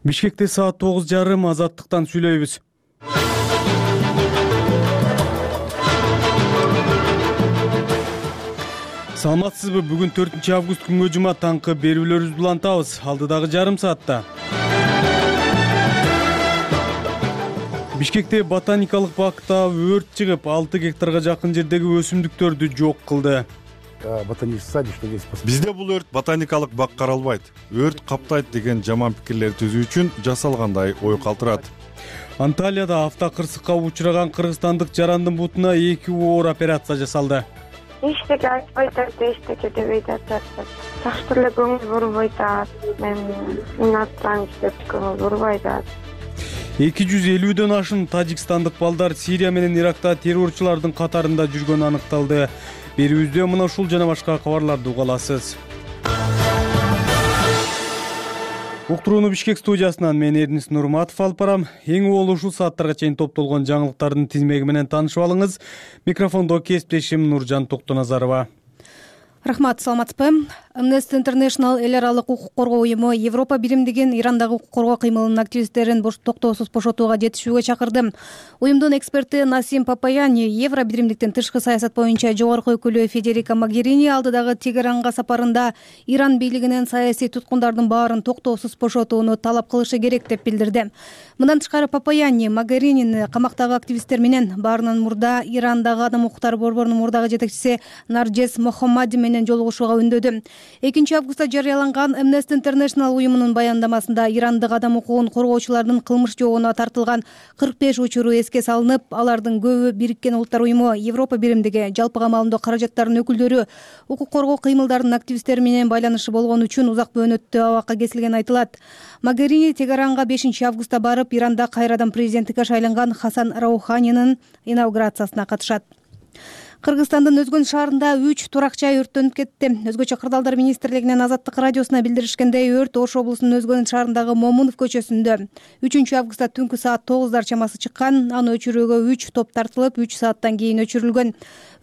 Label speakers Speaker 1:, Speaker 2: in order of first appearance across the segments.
Speaker 1: Бишкекте саат 9:30 Азаттыктан сүйлөйбүз. Саламатсызбы? Бүгүн 4-август күнгө жума таңкы берүүлөрүбүздү улантабыз. Алдыдагы жарым саатта Бишкекте ботаникалык бакта өрт чыгып, 6 гектарга жакын жердеги өсүмдүктөрдү жок кылды.
Speaker 2: Ботанический садик, что здесь
Speaker 3: Бизде бул өрт ботаникалык бак каралбайт. Өрт каптайт деген жаман пикирлер түзүү үчүн жасалгандай ой калтырат.
Speaker 1: Анталияда автокырсыкка учураган кыргызстандык жарандын бутуна 2 оор операция жасалды.
Speaker 4: Эчтеке айтпайт, эчтеке дебейт атат. Жакшы эле көңүл бурбайт. Мен атсаң деп көңүл бурбайт.
Speaker 1: 250дөн ашын тажикстандык балдар Сирия менен Иракта террорчулардын катарында жүргөнү аныкталды. Берүүбүздө мына ушул жана башка кабарларды уга аласыз. Уктурууну Бишкек студиясынан мен Эрнис Нурматов алып барам. Эң уол ушул сааттарга чейин топтолгон жаңылыктардын тизмеги менен таанышып алыңыз. Микрофондо кесиптешим Нуржан Токтоназарова.
Speaker 5: Рахмат, саламатсызбы? Amnesty International эл аралык укук коргоо уюму Европа биримдигин Ирандагы укук коргоо кыймылынын активисттерин токтоосуз бошотууга жетишүүгө чакырды. Уюмдун эксперти Насим Папаяни Евро биримдиктен тышкы саясат боюнча жогорку өкүлү Федерика Могерини алдыдагы Тегеранга сапарында Иран бийлигинен саясий туткундардын баарын токтоосуз бошотууну талап кылышы керек деп билдирди. Мындан тышкары Папаяни Могеринини камактагы активисттер менен баарынан мурда Ирандагы адам укуктары борборунун мурдагы жетекчиси Наржес Мохаммади менен жолугушууга үндөдү. 2-августта жарыяланган Amnesty International уюмунун баяндамасында ирандык адам укугун коргоочулардын кылмыш жообуна тартылган 45 учуру эске салынып, алардын көбү Бириккен Улуттар уюму, Европа биримдиги, жалпы камалымдоо каражаттарынын өкүлдөрү, укук коргоо кыймылдарынын активисттери менен байланышы болгон үчүн узак бөөнөттүү абакка кесилгени айтылат. Могерини Тегеранга 5-августта барып, Иранда кайрадан президенттикке шайланган Хасан Рауханинин инаугурациясына катышат. Кыргызстандын Өзгөн шаарында 3 турак жай өрттөнүп кетти. Өзгөчө кырдаалдар министрлигинин Азаттык радиосуна билдиришкендей, өрт Ош облусунун Өзгөн шаарындагы Момунов көчөсүндө 3-августта түнкү саат 9 чамасы чыккан. Аны өчүрүүгө 3 топ тартылып, 3 сааттан кийин өчүрүлгөн.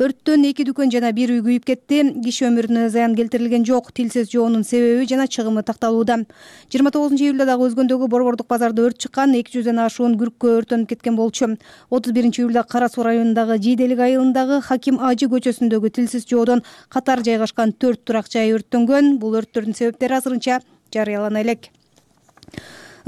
Speaker 5: Өрттөн 2 дүкөн жана 1 үй күйүп кетти. Киши өмүрүнө зыян келтирилген жок. Тилсиз жоонун себеби жана чыгымы такталууда. 29-июлда дагы Өзгөндөгү борбордук базарда өрт чыккан. 200дөн ашуун күрккө өрттөнүп кеткен болчу. 31-июлда Кара Суу районундагы Жийделик айылындагы Хаким Ажы көчөсүндөгү тилсиз жоодон катар жайгашкан 4 турак жай өрттөнгөн. Бул өрттөрдүн себептери азырынча жарыялана элек.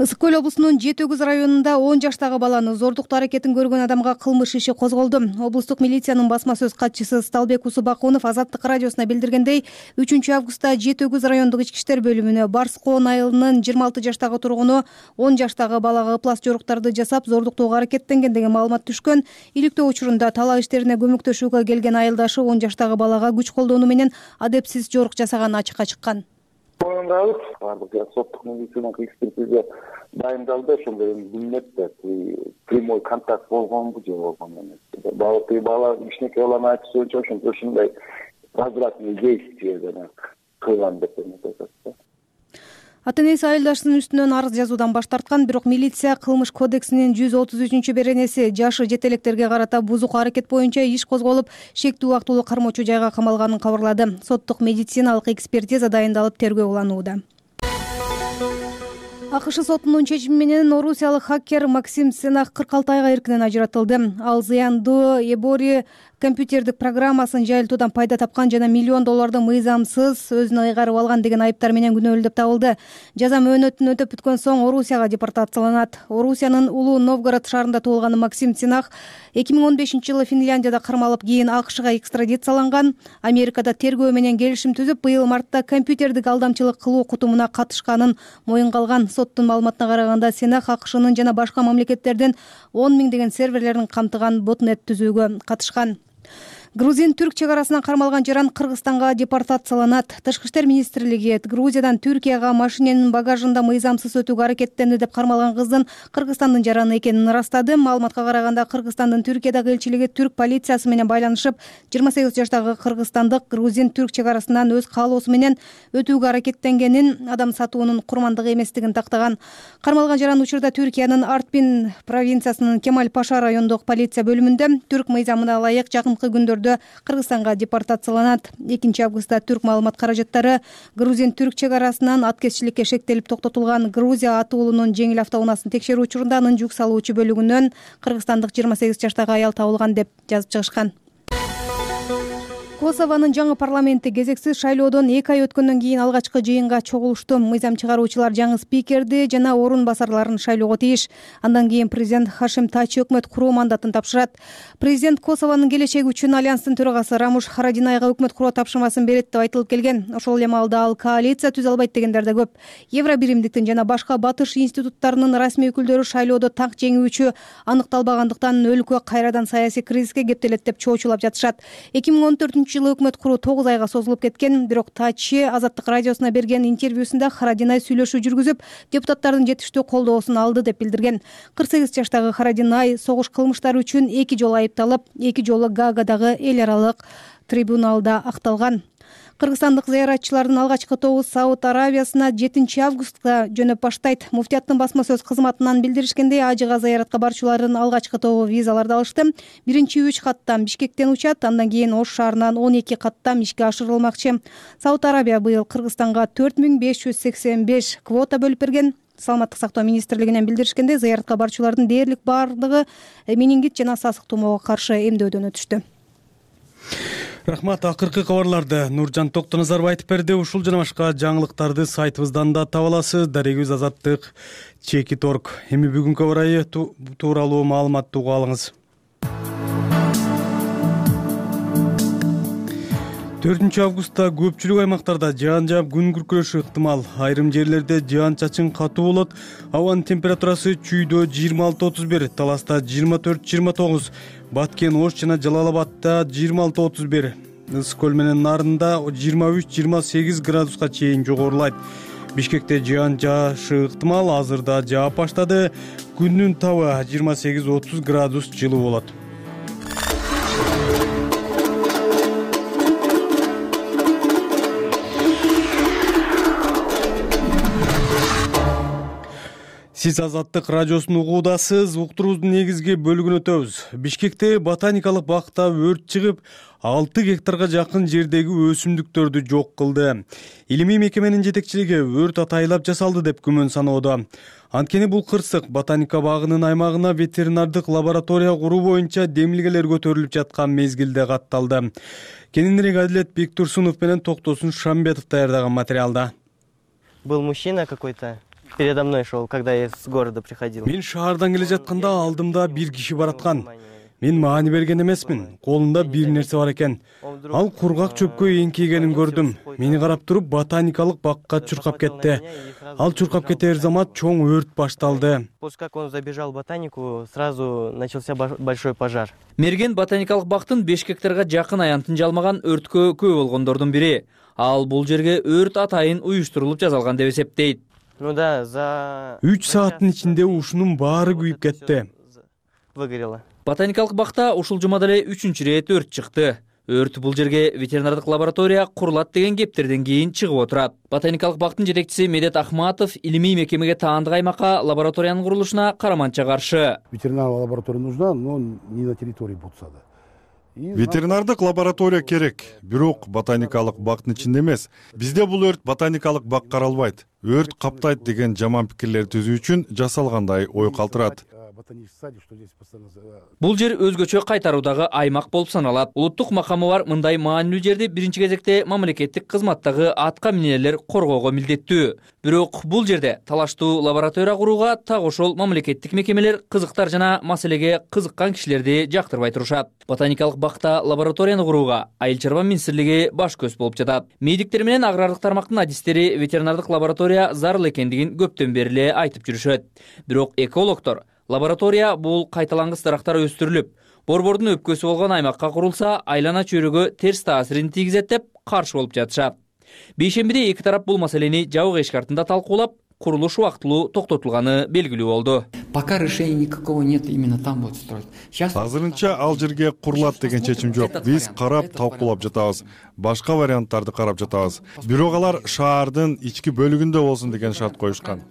Speaker 5: Ысык Көл облусунун Жети Өгүз районунда 10 жаштагы баланы зордуктоо аракетин көргөн адамга кылмыш иши козголду. Облустук милициянын басма сөз катчысы Сталбек Усубакунов Азаттык радиосуна билдиргендей, 3-августта Жети Өгүз райондук ички иштер бөлүмүнө Барскоон айылынын 26 жаштагы тургуну 10 жаштагы балага ыплас жоруктарды жасап зордуктоого аракеттенген деген маалымат түшкөн. Иликтөө учурунда талаа иштерине көмөктөшүүгө келген айылдашы 10 жаштагы балага күч колдонуу менен адепсиз жорук жасаганы ачыкка чыккан.
Speaker 6: Бардык соттук медициналык экспертиза дайындалды, ошондо билинет да прямой контакт болгонбу же болгон эмес. Бала кичинекей баланын айтуусунча ошондой возвратный действие кылган деп айтат.
Speaker 5: Ата-энеси айылдашынын үстүнөн арыз жазуудан баш тарткан, бирок милиция кылмыш кодексинин 133-беренеси жашы жетелектерге карата бузук аракет боюнча иш козголуп, шектүү убактылуу кармоочу жайга камалганын кабарлады. Соттук медициналык экспертиза дайындалып, тергөө уланууда. АКШ сотунун чечими менен орусиялык хакер Максим Сенах 46 айга эркинен ажыратылды. Ал зыяндуу Эбори компьютердик программасын жайылтуудан пайда тапкан жана $1 миллион мыйзамсыз өзүнө ыйгарып алган деген айыптар менен күнөөлүү деп табылды. Жаза мөөнөтүн өтөп бүткөн соң Орусияга депортацияланат. Орусиянын Улуу Новгород шаарында туулган Максим Сенах 2015-жылы Финляндияда кармалып, кийин АКШга экстрадицияланган. Америкада тергөө менен келишим түзүп, быйыл мартта компьютердик алдамчылык кылуу кутумуна катышканын моюнга алган. Соттун маалыматына караганда, Сенах АКШнын жана башка мамлекеттердин 10 миңдеген серверлерин камтыган ботнет түзүүгө катышкан. Грузин-түрк чегарасынан кармалган жаран Кыргызстанга депортацияланат. Тышкы иштер министрлиги Грузиядан Түркияга машиненин багажында мыйзамсыз өтүүгө аракеттенди деп кармалган кыздын Кыргызстандын жараны экенин ырастады. Маалыматка караганда, Кыргызстандын Түркиядагы элчилиги түрк полициясы менен байланышып, 28 жаштагы кыргызстандык грузин-түрк чегарасынан өз каалоосу менен өтүүгө аракеттенгенин, адам сатуунун курмандыгы эместигин тактаган. Кармалган жаран учурда Түркиянын Артпин провинциясынын Кемаль Паша райондук полиция бөлүмүндө. Түрк мыйзамына ылайык жакынкы күндөрдө күндөрдө Кыргызстанга депортацияланат. 2-августта түрк маалымат каражаттары Грузин-түрк чек арасынан аткезчиликке шектелип токтотулган Грузия аты уулунун жеңил автоунаасын текшерүү учурунда анын жүк салуучу бөлүгүнөн кыргызстандык 28 жаштагы аял табылган деп жазып чыгышкан. Косованын жаңы парламенти кезексиз шайлоодон 2 ай өткөндөн кийин алгачкы жыйынга чогулушту. Мыйзам чыгаруучулар жаңы спикерди жана орун басарларын шайлоого тийиш. Андан кийин президент Хашим Тачи өкмөт куруу мандатын тапшырат. Президент Косованын келечеги үчүн альянстын төрагасы Рамуш Харадинайга өкмөт куруу тапшырмасын берет деп айтылып келген. Ошол эле маалда ал коалиция түзө албайт дегендер да көп. Евробиримдиктин жана башка батыш институттарынын расмий өкүлдөрү шайлоодо так жеңүүчү аныкталбагандыктан өлкө кайрадан саясий кризиске кептелет деп чоочулап жатышат. 2014 жылы өкмөт куруу 9 айга созулуп кеткен, бирок Тачи Азаттык радиосуна берген интервьюсунда Харадинай сүйлөшүү жүргүзүп, депутаттардын жетиштүү колдоосун алды деп билдирген. 48 жаштагы Харадинай согуш кылмыштары үчүн 2 жолу айыпталып, 2 жолу Гаагадагы эл аралык трибуналда акталган. Кыргызстандык зыяратчылардын алгачкы тобу Сауд Аравиясына 7-августта жөнөп баштайт. Муфтияттын басма сөз кызматынан билдиришкендей, ажыга зыяратка барчулардын алгачкы тобу визаларды алышты. Биринчи 3 каттам Бишкектен учат, андан кийин Ош шаарынан 12 каттам ишке ашырылмакчы. Сауд Аравия быйыл Кыргызстанга 4585 квота бөлүп берген. Саламаттык сактоо министрлигинен билдиришкендей, зыяратка барчулардын дээрлик бардыгы менингит жана сасык тумоого каршы эмдөөдөн өтүштү.
Speaker 1: Рахмат. Акыркы кабарларды Нуржан Токтоназаров айтып берди. Ушул жана башка жаңылыктарды сайтыбыздан да таба аласыз. Дарегибиз Азаттык @. Эми бүгүнкү абар тууралуу маалыматты угуп алыңыз. 4-августта көпчүлүк аймактарда жаан жаап күн күркүрөшү ыктымал. Айрым жерлерде жаан-чачын катуу болот. Абанын температурасы чүйдө 26-31, Таласта 24-29, Баткен, Ош жана Жалал-Абадта 26-31, Ысык көл менен Нарында 23-28 градуска чейин жогорулайт. Бишкекте жаан жаашы ыктымал, азырда жаап баштады. Күндүн табы 28-30 градус жылуу болот. Сиз Азаттык радиосун угуудасыз. Уктуруубуздун негизги бөлүгүнө өтөбүз. Бишкекте ботаникалык бакта өрт чыгып, 6 гектарга жакын жердеги өсүмдүктөрдү жок кылды. Илимий мекеменин жетекчилиги өрт атайлап жасалды деп күмөн саноодо. Анткени бул кырсык ботаника багынын аймагына ветеринардык лаборатория куруу боюнча демилгелер көтөрүлүп жаткан мезгилде катталды. Кененирээк Адилет Бектурсунов менен Токтосун Шамбетов даярдаган материалда.
Speaker 7: Был мужчина какой-то. Передо мной шел, когда я с города приходил.
Speaker 1: Мен шаардан келе жатканда алдымда бир киши бараткан. Мен маани берген эмесмин. Колунда бир нерсе бар экен. Ал кургак чөпкө эңкейгенин көрдүм. Мени карап туруп ботаникалык бакка чуркап кетти. Ал чуркап кетер замат чоң өрт башталды.
Speaker 7: После как он забежал в ботанику, сразу начался большой пожар.
Speaker 8: Мерген ботаникалык бактын 5 гектарга жакын аянтын жалмаган өрткө күбө болгондордун бири. Ал бул жерге өрт атайын уюштурулуп жасалган деп эсептейт.
Speaker 7: Ну да, за
Speaker 1: 3 сааттын ичинде ушунун баары күйүп кетти.
Speaker 7: Выгорело.
Speaker 8: Ботаникалык бакта ушул жумада эле 3-чү ирет өрт чыкты. Өрт бул жерге ветеринардык лаборатория курулат деген кептерден кийин чыгып отурат. Ботаникалык бактын жетекчиси Медет Ахматов илимий мекемеге таандык аймакка лабораториянын курулушуна караманча каршы.
Speaker 2: Ветеринарная лаборатория нужна, но не на территории Бутсада.
Speaker 3: Ветеринардык лаборатория керек, бирок ботаникалык бактын ичинде эмес. Бизде бул өрт ботаникалык бак каралбайт. Өрт каптайт деген жаман пикирлер түзүү үчүн жасалгандай ой калтырат.
Speaker 8: Бул жер өзгөчө кайтаруудагы аймак болуп саналат. Улуттук макамы бар мындай маанилүү жерди биринчи кезекте мамлекеттик кызматтагы атка минелер коргоого милдеттүү. Бирок бул жерде талаштуу лаборатория курууга так ошол мамлекеттик мекемелер кызыктар жана маселеге кызыккан кишилерди жактырбай турушат. Ботаникалык бакта лабораторияны курууга Айыл чарба министрлиги баш көз болуп жатат. Медиктер менен агрардык тармактын адистери ветеринардык лаборатория зарыл экендигин көптөн бери эле айтып жүрүшөт. Бирок экологдор лаборатория бул кайталангыс дарактар өстүрүлүп, борбордун өпкөсү болгон аймакка курулса, айлана чөйрөгө терс таасирин тийгизет деп каршы болуп жатышат. Бейшембиде эки тарап бул маселени жабык эшик артында талкуулап, курулуш убактылуу токтотулганы белгилүү болду.
Speaker 9: Пока решения никакого нет, именно там будут строить.
Speaker 3: Азырынча ал жерге курулат деген чечим жок. Биз карап талкуулап жатабыз. Башка варианттарды карап жатабыз. Бирок алар шаардын ички бөлүгүндө болсун деген шарт коюшкан.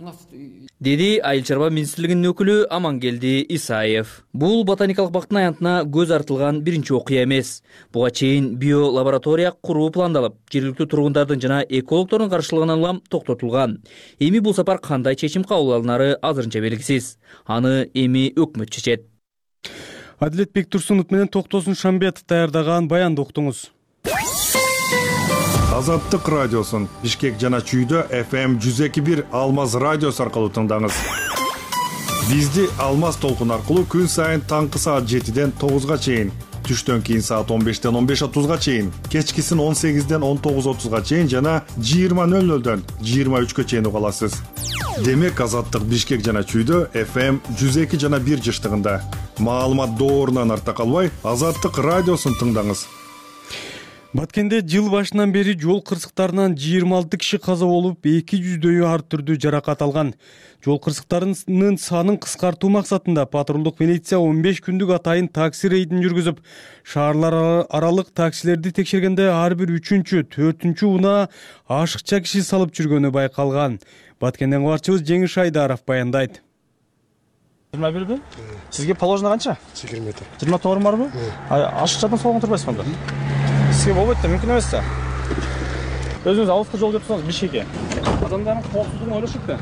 Speaker 8: деди Айыл чарба министрлигинин өкүлү Амангелди Исаев. Бул ботаникалык бактын аянтына көз артылган биринчи окуя эмес. Буга чейин биолаборатория куруу пландалып, жергиликтүү тургундардын жана экологдордун каршылыгынан улам токтотулган. Эми бул сапар кандай чечим кабыл алынары азырынча белгисиз. Аны эми өкмөт чечет.
Speaker 1: Адилет Бектурсунов менен Токтосун Шамбетов даярдаган баянды уктуңуз.
Speaker 3: Азаттык радиосун Бишкек жана Чүйдө FM 102.1 Алмаз радиосу аркылуу тыңдаңыз. Бизди Алмаз толкун аркылуу күн сайын таңкы саат 7ден 9га чейин, түштөн кийин саат 15ден 15:30га чейин, кечкисин 18ден 19:30га чейин жана 20:00дөн 23га чейин уга аласыз. Демек Азаттык Бишкек жана Чүйдө FM 102 жана 1 жыштыгында. Маалымат доорунан арта калбай, Азаттык радиосун тыңдаңыз.
Speaker 1: Баткенде жыл башынан бери жол кырсыктарынан 26 киши каза болуп, 200дөйү ар түрдүү жаракат алган. Жол кырсыктарынын санын кыскартуу максатында патрулдук милиция 15 күндүк атайын такси рейдин жүргүзүп, шаарлар аралык таксилерди текшергенде ар бир 3-чү, 4-чү унаа ашыкча киши салып жүргөнү байкалган. Баткенден кабарчыбыз Жеңиш Айдаров баяндайт.
Speaker 10: 21 Сизге положено канча?
Speaker 2: 20 метр.
Speaker 10: 24 барбы? Ашыкчадан солгон турбайсызбы анда? Сизге болбойт да, мүмкүн эмес да. Өзүңүз алыска жол кеп турсаңыз Бишкекке. Адамдардын коопсуздугун ойлошуп да.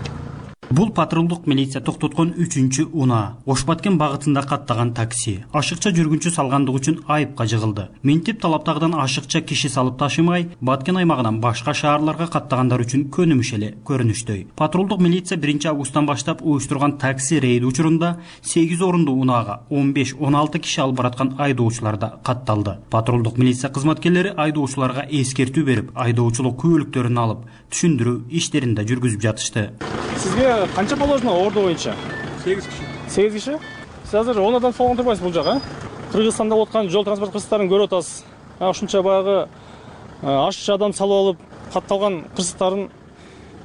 Speaker 11: Бул патрулдук милиция токтоткон 3-чү унаа Ош Баткен багытында каттаган такси ашыкча жүргүнчү салгандыгы үчүн айыпка жыгылды. Минтип талаптагыдан ашыкча киши салып ташымай, Баткен аймагынан башка шаарларга каттагандар үчүн көнүмүш эле көрүнүштөй. Патрулдук милиция 1-августтан баштап уюштурган такси рейди учурунда 8 орундуу унаага 15-16 киши алып бараткан айдоочулар да катталды. Патрулдук милиция кызматкерлери айдоочуларга эскертүү берип, айдоочулук күбөлүктөрүн алып, түшүндүрүү иштерин да жүргүзүп жатышты.
Speaker 10: Сизге канча положено орду боюнча? 8 киши. 8 киши? Сиз азыр 10 адам солгон турбайсыз бул жака? Кыргызстанда болуп аткан жол транспорт кырсыктарын көрүп атасыз. Ушунча баягы ашыкча адам салып алып, катталган кырсыктарын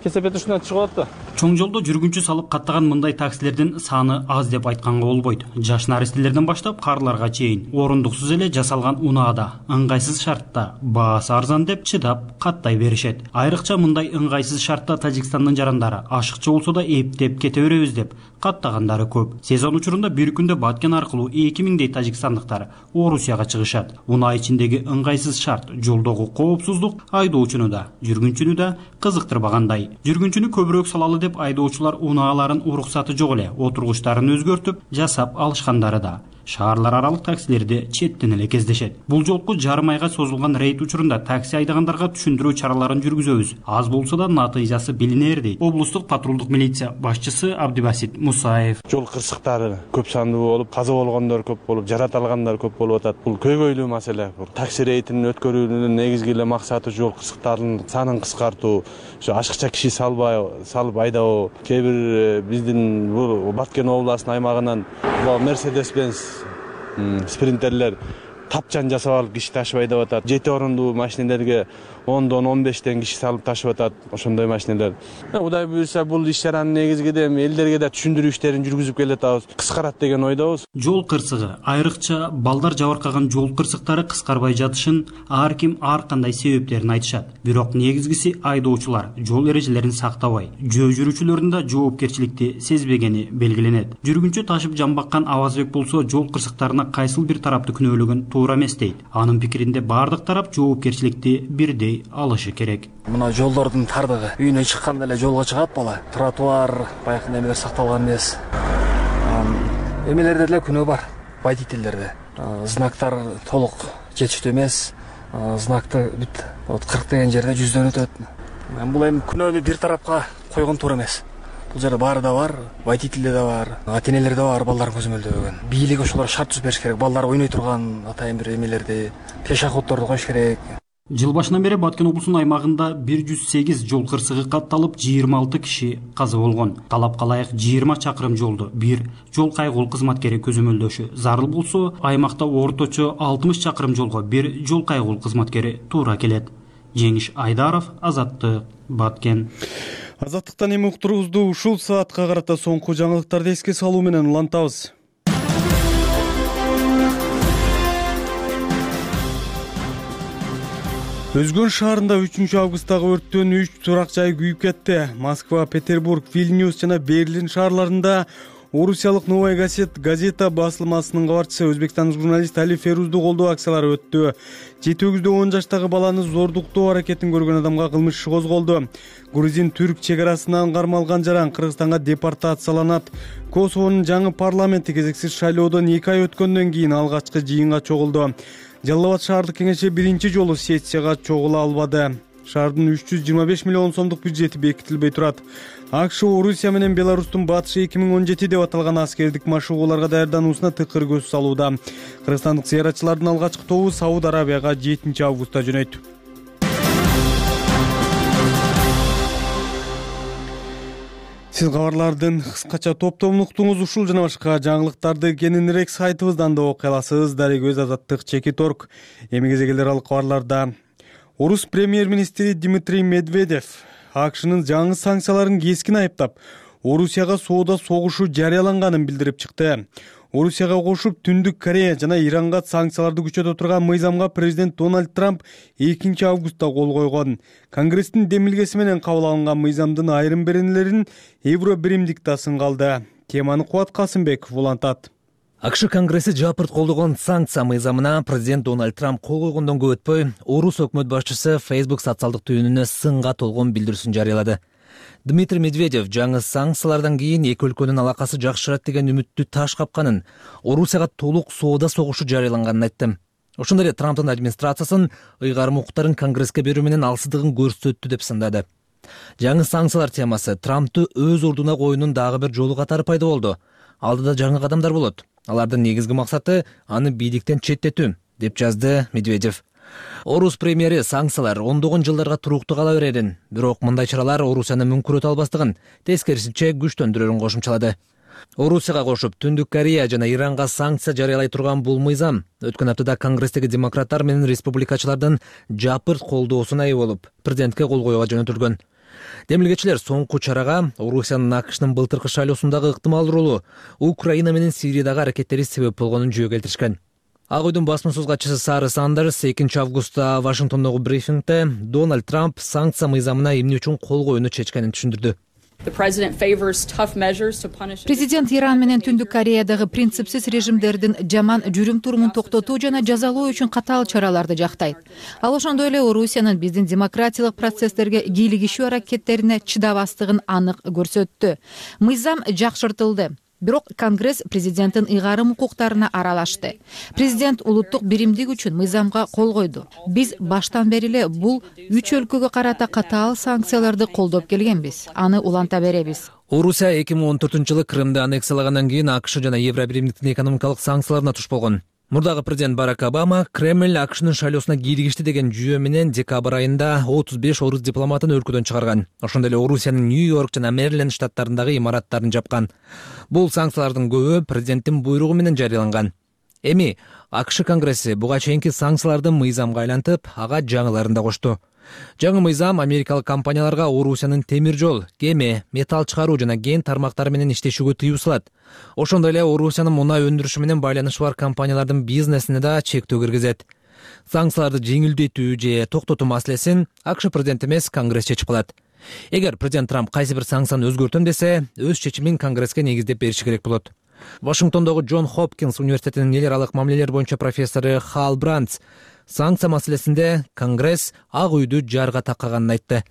Speaker 10: кесепет үстүнөн чыгып атат да.
Speaker 11: Чоң жолдо жүргүнчү салып каттаган мындай таксилердин саны аз деп айтканга болбойт. Жаш наристелерден баштап карларга чейин орундуксуз эле жасалган унаада ыңгайсыз шартта баасы арзан деп чыдап каттай беришет. Айрыкча мындай ыңгайсыз шартта Тажикстандын жарандары ашыкча болсо да эптеп кете беребиз деп каттагандары көп. Сезон учурунда бир күндө Баткен аркылуу 2000дей тажикстандыктар Орусияга чыгышат. Унаа ичиндеги ыңгайсыз шарт, жолдогу коопсуздук айдоочуну да, жүргүнчүнү да кызыктырбагандай. Жүргүнчүнү көбүрөөк салалы деп айдоочулар унааларын уруксаты жок эле отургучтарын өзгөртүп жасап алышкандары да. Шаарлар аралык таксилерди четтен эле кездешет. Бул жолку жарым айга созулган рейд учурунда такси айдагандарга түшүндүрүү чараларын жүргүзөбүз. Аз болсо да натыйжасы билинер дейт облустук патрулдук милиция башчысы Абдибасит Мусаев.
Speaker 12: Жол кырсыктары көп сандуу болуп, каза болгондор көп болуп, жарат алгандар көп болуп атат. Бул көйгөйлүү маселе. Такси рейдин өткөрүүнүн негизги эле максаты жол кырсыктарынын санын кыскартуу, ашыкча киши салып айдабоо. Кээ бир биздин бул Баткен областынын аймагынан Mercedes-Benz спринтерлер тапчан жасап алып киши ташып айдап атат. 7 орундуу машинелерге 10дон 15тен киши салып ташып атат. Ошондой машинелер. Кудай буйрса бул иш чаранын негизги элдерге да түшүндүрүү иштерин жүргүзүп келатабыз. Кыскарат деген ойдобуз.
Speaker 11: Жол кырсыгы, айрыкча балдар жабыркаган жол кырсыктары кыскарбай жатышын ар ким ар кандай себептерин айтышат. Бирок негизгиси айдоочулар жол эрежелерин сактабай, жөө жүрүүчүлөрдүн да жоопкерчиликти сезбегени белгиленет. Жүргүнчү ташып жамбаккан Авазбек болсо жол кырсыктарына кайсыл бир тарапты күнөөлөгөн туура эмес дейт. Анын пикиринде бардык тарап жоопкерчиликти бирдей алышы керек.
Speaker 13: Мына жолдордун тардыгы үйүнө чыкканда эле жолго чыгат бала. Тротуар баягы немелер сакталган эмес. Эмелерде деле күнөө бар, водительдерде. Знактар толук жетиштүү эмес. Знакты бүт 40 деген жерде 100дөн өтөт. Бул эми күнөөнү бир тарапка койгон туура эмес. Бул жерде баары да бар, водительде да бар, ата-энелер да бар, балдарын көзөмөлдөгөн. Бийлик ошолорго шарт түзүп бериш керек. Балдар ойной турган атайын бир эмелерди, пешеходдорду коюш керек.
Speaker 11: Жыл башынан бери Баткен облусунун аймагында 108 жол кырсыгы катталып, 26 киши каза болгон. Талапка ылайык 20 чакырым жолду бир жол кайгыл кызматкери көзөмөлдөшү зарыл болсо, аймакта орточо 60 чакырым жолго бир жол кайгыл кызматкери туура келет. Жеңиш Айдаров, Азаттык, Баткен.
Speaker 1: Азаттыктан эми уктуруубузду ушул саатка карата соңку жаңылыктарды эске салуу менен улантабыз. Өзгөн шаарында 3 августтагы өрттөн 3 турак жай күйүп кетти. Москва, Петербург, Вильнюс жана Берлин шаарларында Орусиялык Новая газета басылмасынын кабарчысы өзбекстандык журналист Али Ферузду колдоо акциялары өттү. 7-10 жаштагы баланы зордуктоо аракетин көргөн адамга кылмыш иши козголду. Грузин-түрк чегарасынан кармалган жаран Кыргызстанга депортацияланат. Косовонун жаңы парламенти кезексиз шайлоодон 2 ай өткөндөн кийин алгачкы жыйынга чогулду. Жалал Абад шаардык кеңеши биринчи жолу сессияга чогула албады. Шаардын 325 миллион сомдук бюджети бекитилбей турат. АКШ Орусия менен Беларустун батышы 2017 деп аталган аскердик машыгууларга даярдануусуна тыкыр көз салууда. Кыргызстандык зыяратчылардын алгачкы тобу Сауд Арабияга 7 августта жөнөйт. Сиз кабарлардын кыскача топтомун уктуңуз. Ушул жана башка жаңылыктарды кененирээк сайтыбыздан да окуй аласыз. Дарыгөз Азаттык Чекиторг. Эми кезегелер ал кабарларда. Орус премьер-министри Дмитрий Медведев АКШнын жаңы санкцияларын кескин айыптап, Орусияга соода согушу жарыяланганын билдирип чыкты. Орусияга кошуп Түндүк Корея жана Иранга санкцияларды күчөтө турган мыйзамга президент Дональд Трамп 2 августта кол койгон. Конгресстин демилгеси менен кабыл алынган мыйзамдын айрым беренелерин евро биримдик да сынгалды. Теманы Кубат Касымбеков улантат.
Speaker 14: АКШ Конгресси жапырт колдогон санкция мыйзамына президент Дональд Трамп кол койгондон көп өтпөй, Орус өкмөт башчысы Facebook социалдык түйүнүнө сынга толгон билдирүүсүн жарыялады. Дмитрий Медведев жаңы санкциялардан кийин эки өлкөнүн алакасы жакшырат деген үмүттү таш капканын, Орусияга толук соода согушу жарыяланганын айтты. Ошондой эле Трамптын администрациясын ыйгарым укуктарын Конгресске берүү менен алсыздыгын көрсөттү деп сындады. Жаңы санкциялар темасы Трамптты өз ордуна коюунун дагы бир жолу катары пайда болду. Алдыда жаңы кадамдар болот. Алардын негизги максаты аны бийликтен четтетүү, деп жазды Медведев. Орус премьери санкциялар ондогон жылдарга туруктуу кала берерин, бирок мындай чаралар Орусияны мүмкүрөтө албастыгын, тескерисинче күчтөндүрөрүн кошумчалады. Орусияга кошуп Түндүк Корея жана Иранга санкция жарыялай турган бул мыйзам өткөн аптада Конгресстеги демократтар менен республикачылардын жапырт колдоосуна ээ болуп, президентке кол коюуга жөнөтүлгөн. Демилгечилер соңку чарага Орусиянын АКШнын былтыркы шайлоосундагы ыктымал ролу, Украина менен Сириядагы аракеттери себеп болгонун жөө келтиришкен. Ак үйдүн басма-сөз катчысы Сара Сандерс 2 августта Вашингтондогу брифингде Дональд Трамп санкция мыйзамына эмне үчүн кол коюуну чечкенин түшүндүрдү.
Speaker 15: Президент Иран менен Түндүк Кореядагы принципсиз режимдердин жаман жүрүм-турумун токтотуу жана жазалоо үчүн катаал чараларды жактайт. Ал ошондой эле Орусиянын биздин демократиялык процесстерге кийлигишүү аракеттерине чыдабастыгын анык көрсөттү. Мыйзам жакшыртылды. Бирок Конгресс президенттин ыйгарым укуктарына аралашты. Президент улуттук биримдик үчүн мыйзамга кол койду. Биз баштан бери эле бул 3 өлкөгө карата катаал санкцияларды колдоп келгенбиз. Аны уланта беребиз.
Speaker 14: Орусия 2014-жылы Крымды аннексиялагандан кийин АКШ жана Евро биримдиктин экономикалык санкцияларына туш болгон. Мурдагы президент Барак Обама Кремль АКШнын шайлоосуна кийлигишти деген жүйө менен декабрь айында 35 орус дипломатын өлкөдөн чыгарган. Ошондой эле Орусиянын Нью-Йорк жана Мэриленд штаттарындагы имараттарын жапкан. Бул санкциялардын көбү президенттин буйругу менен жарыяланган. Эми АКШ Конгресси буга чейинки санкцияларды мыйзамга айлантып, ага жаңыларын да кошту. Жаңы мыйзам америкалык компанияларга Орусиянын темир жол, кеме, металл чыгаруу жана кен тармактары менен иштешүүгө тыюу салат. Ошондой эле Орусиянын мунай өндүрүшү менен байланышы бар компаниялардын бизнесине да чектөө киргизет. Санкцияларды жеңилдетүү же токтотуу маселесин АКШ президенти эмес Конгресс чечип калат. Эгер президент Трамп кайсы бир санкцияны өзгөртөм десе, өз чечимин Конгресске негиздеп бериши керек болот. Вашингтондогу Джон Хопкинс университетинин эл аралык мамилелер боюнча профессору Хал Брандс санкция маселесинде Конгресс Ак үйдү жарга таккаганын айтты.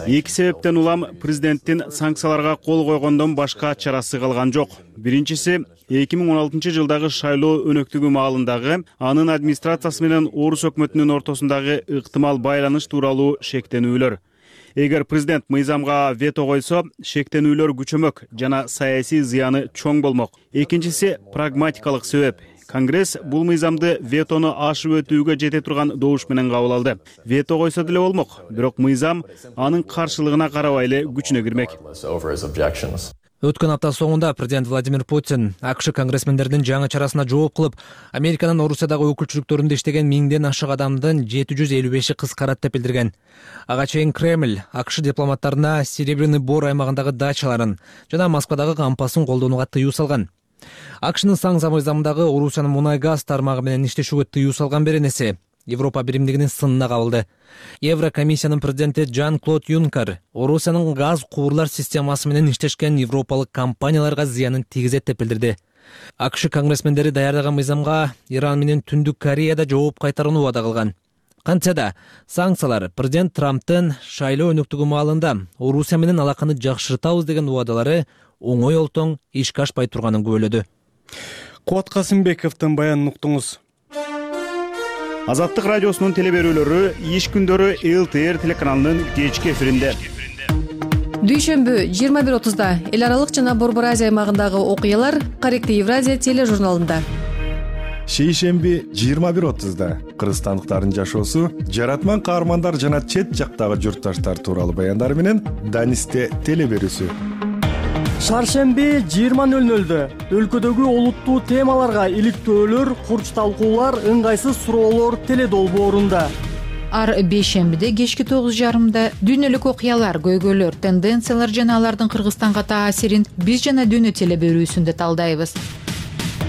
Speaker 16: Эки себептен улам президенттин санкцияларга кол койгондон башка чарасы калган жок. Биринчиси 2016-жылдагы шайлоо өнөктүгү маалындагы анын администрациясы менен Орус өкмөтүнүн ортосундагы ыктымал байланыш тууралуу шектенүүлөр. Эгер президент мыйзамга вето койсо, шектенүүлөр күчөмөк жана саясий зыяны чоң болмок. Экинчиси прагматикалык себеп. Конгресс бул мыйзамды ветону ашып өтүүгө жете турган добуш менен кабыл алды. Вето койсо деле болмок, бирок мыйзам анын каршылыгына карабай эле күчүнө кирмек.
Speaker 14: Өткөн апта соңунда президент Владимир Путин АКШ конгрессмендердин жаңы чарасына жооп кылып, Американын Орусиядагы өкүлчүлүктөрүндө иштеген 1000ден ашык адамдын 755-и кыскарат деп билдирген. Ага чейин Кремль АКШ дипломаттарына Серебряный Бор аймагындагы дачаларын жана Москвадагы кампасын колдонууга тыюу салган. АКШнын санкция мыйзамындагы Орусиянын мунай газ тармагы менен иштешүүгө тыюу салган беренеси Европа биримдигинин сынына кабылды. Еврокомиссиянын президенти Жан-Клод Юнкер Орусиянын газ кубурлар системасы менен иштешкен европалык компанияларга зыянын тийгизет деп билдирди. АКШ конгрессмендери даярдаган мыйзамга Иран менен Түндүк Кореяда жооп кайтарууну убада кылган. Кантсе да санкциялар президент Трамптын шайлоо өнөктүгү маалында Орусия менен алаканы жакшыртабыз деген убадалары оңой олтоң ишке ашпай турганын күбөлөдү.
Speaker 1: Кубат Касымбековдун баянын уктуңуз.
Speaker 16: Азаттык радиосунун теле берүүлөрү иш күндөрү ЛТР телеканалынын кечки эфиринде.
Speaker 17: Дүйшөмбү 21:30-да эл аралык жана Борбор Азия аймагындагы окуялар Корректив Евразия тележурналында.
Speaker 18: Шейшемби 21:30-да кыргызстандыктардын жашоосу, жаратман каармандар жана чет жактагы журтташтар тууралуу баяндар менен Данисте теле берүүсү.
Speaker 19: Шаршемби 20:00-дө өлкөдөгү олуттуу темаларга иликтөөлөр, курч талкуулар, ыңгайсыз суроолор теле долбоорунда.
Speaker 15: Ар бейшембиде кечки 9:30-да дүйнөлүк окуялар, көйгөйлөр, тенденциялар жана алардын Кыргызстанга таасирин биз жана дүйнө теле берүүсүндө талдайбыз.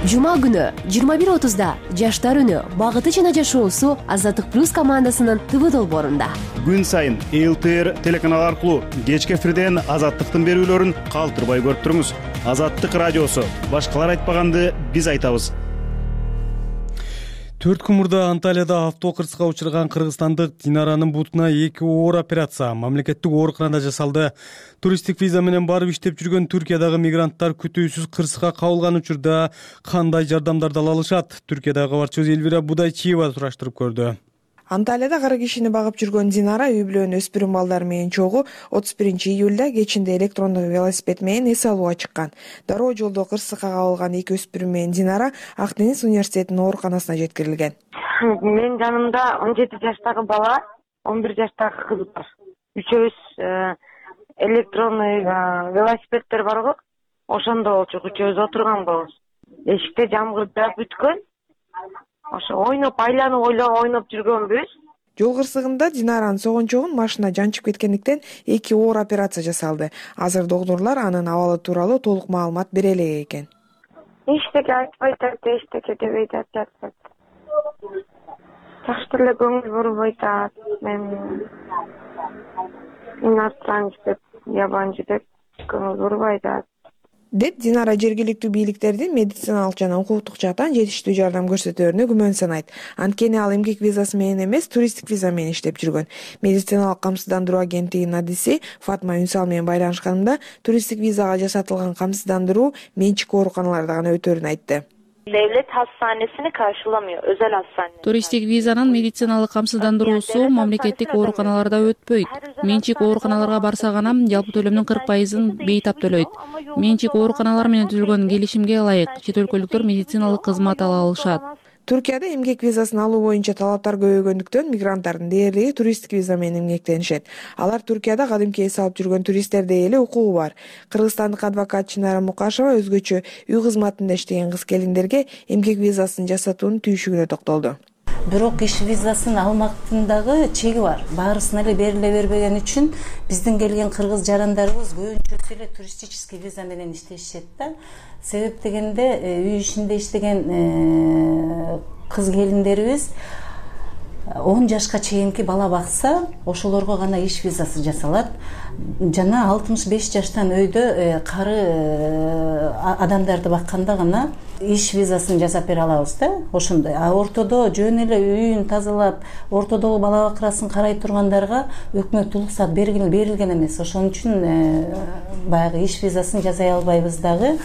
Speaker 20: Жума күнү 21:30-да жаштар үнү, багыты жана жашоосу Азаттык плюс командасынын ТВ долбоорунда.
Speaker 16: Күн сайын ЛТР телеканал аркылуу кечки эфирден Азаттыктын берүүлөрүн калтырбай көрүп туруңуз. Азаттык радиосу, башкалар айтпаганды биз айтабыз.
Speaker 1: 4 күн мурда Анталияда автокырсыкка учурган кыргызстандык Динаранын бутуна 2 оор операция мамлекеттик ооруканада жасалды. Туристтик виза менен барып иштеп жүргөн Түркиядагы мигранттар күтүүсүз кырсыкка кабылган учурда кандай жардамдарды ала алышат? Түркиядагы кабарчыбыз Элвира Будайчиева сураштырып көрдү.
Speaker 21: Анталияда кара кишини багып жүргөн Динара үй бүлөнүн өспүрүм балдары менен чогуу 31-июлда кечинде электрондук велосипед менен эс алууга чыккан. Дароо жолдо кырсыкка кабылган 2 өспүрүм менен Динара Ак Деңиз университетинин ооруканасына жеткирилген.
Speaker 4: Менин жанымда 17 жаштагы бала, 11 жаштагы кыз бар. Үчөөбүз электронный велосипедтер барго, ошондо болчу, үчөөбүз отурганбыз. Эшикте жамгырдап бүткөн. Ошо ойноп, айланып ойноп жүргөнбүз.
Speaker 21: Жол кырсыгында Динаранын согончогун машина жанчып кеткендиктен 2 оор операция жасалды. Азыр доктурлар анын абалы тууралуу толук маалымат бере элек экен.
Speaker 4: Эчтеке айтпай атат, эчтеке дебей атат. Жакшы эле көңүл бурбой атат. Мен иностранец деп, ябанчы деп көңүл бурбай атат.
Speaker 21: Деп Динара жергиликтүү бийликтердин медициналык жана укуктук жактан жетиштүү жардам көрсөтөөрүнө күмөн санайт. Анткени ал эмгек визасы менен эмес, туристтик виза менен иштеп жүргөн. Медициналык камсыздандыруу агенттигинин адиси Фатма Үнсал менен байланышканымда туристтик визага жасатылган камсыздандыруу менчик ооруканаларда гана өтөөрүн айтты.
Speaker 22: Devlet hastanesini karşılamıyor, özel hastane.
Speaker 23: Туристтик визанын медициналык камсыздандыруусу мамлекеттик ооруканаларда өтпөйт. Менчик ооруканаларга барса гана жалпы төлөмдүн 40%-ын бейтап төлөйт. Менчик ооруканалар менен түзүлгөн келишимге ылайык чет өлкөлүктөр медициналык кызмат ала алышат.
Speaker 21: Түркияда эмгек визасын алуу боюнча талаптар көбөйгөндүктөн мигранттардын дээрлиги туристтик виза менен эмгектенишет. Алар Түркияда кадимки эс алып жүргөн туристтердей эле укугу бар. Кыргызстандык адвокат Чынара Мукашева өзгөчө үй кызматында иштеген кыз келиндерге эмгек визасын жасатуунун түйшүгүнө токтолду.
Speaker 24: Бирок иш визасын алмактын дагы чеги бар. Баарысына эле бериле бербеген үчүн биздин келген кыргыз жарандарыбыз көбүнчөсү эле туристический виза менен иштешет да. Себеп дегенде үй ишинде иштеген кыз келиндерибиз 10 жашка чейинки бала бакса, ошолорго гана иш визасы жасалат. Жана 65 жаштан өйдө кары адамдарды бакканда гана иш визасын жасап бере алабыз да, ошондой. А ортодо жөн эле үйүн тазалап, ортодогу бала бакырасын карай тургандарга өкмөт уруксат берилген эмес. Ошон үчүн баягы иш визасын жасай албайбыз дагы.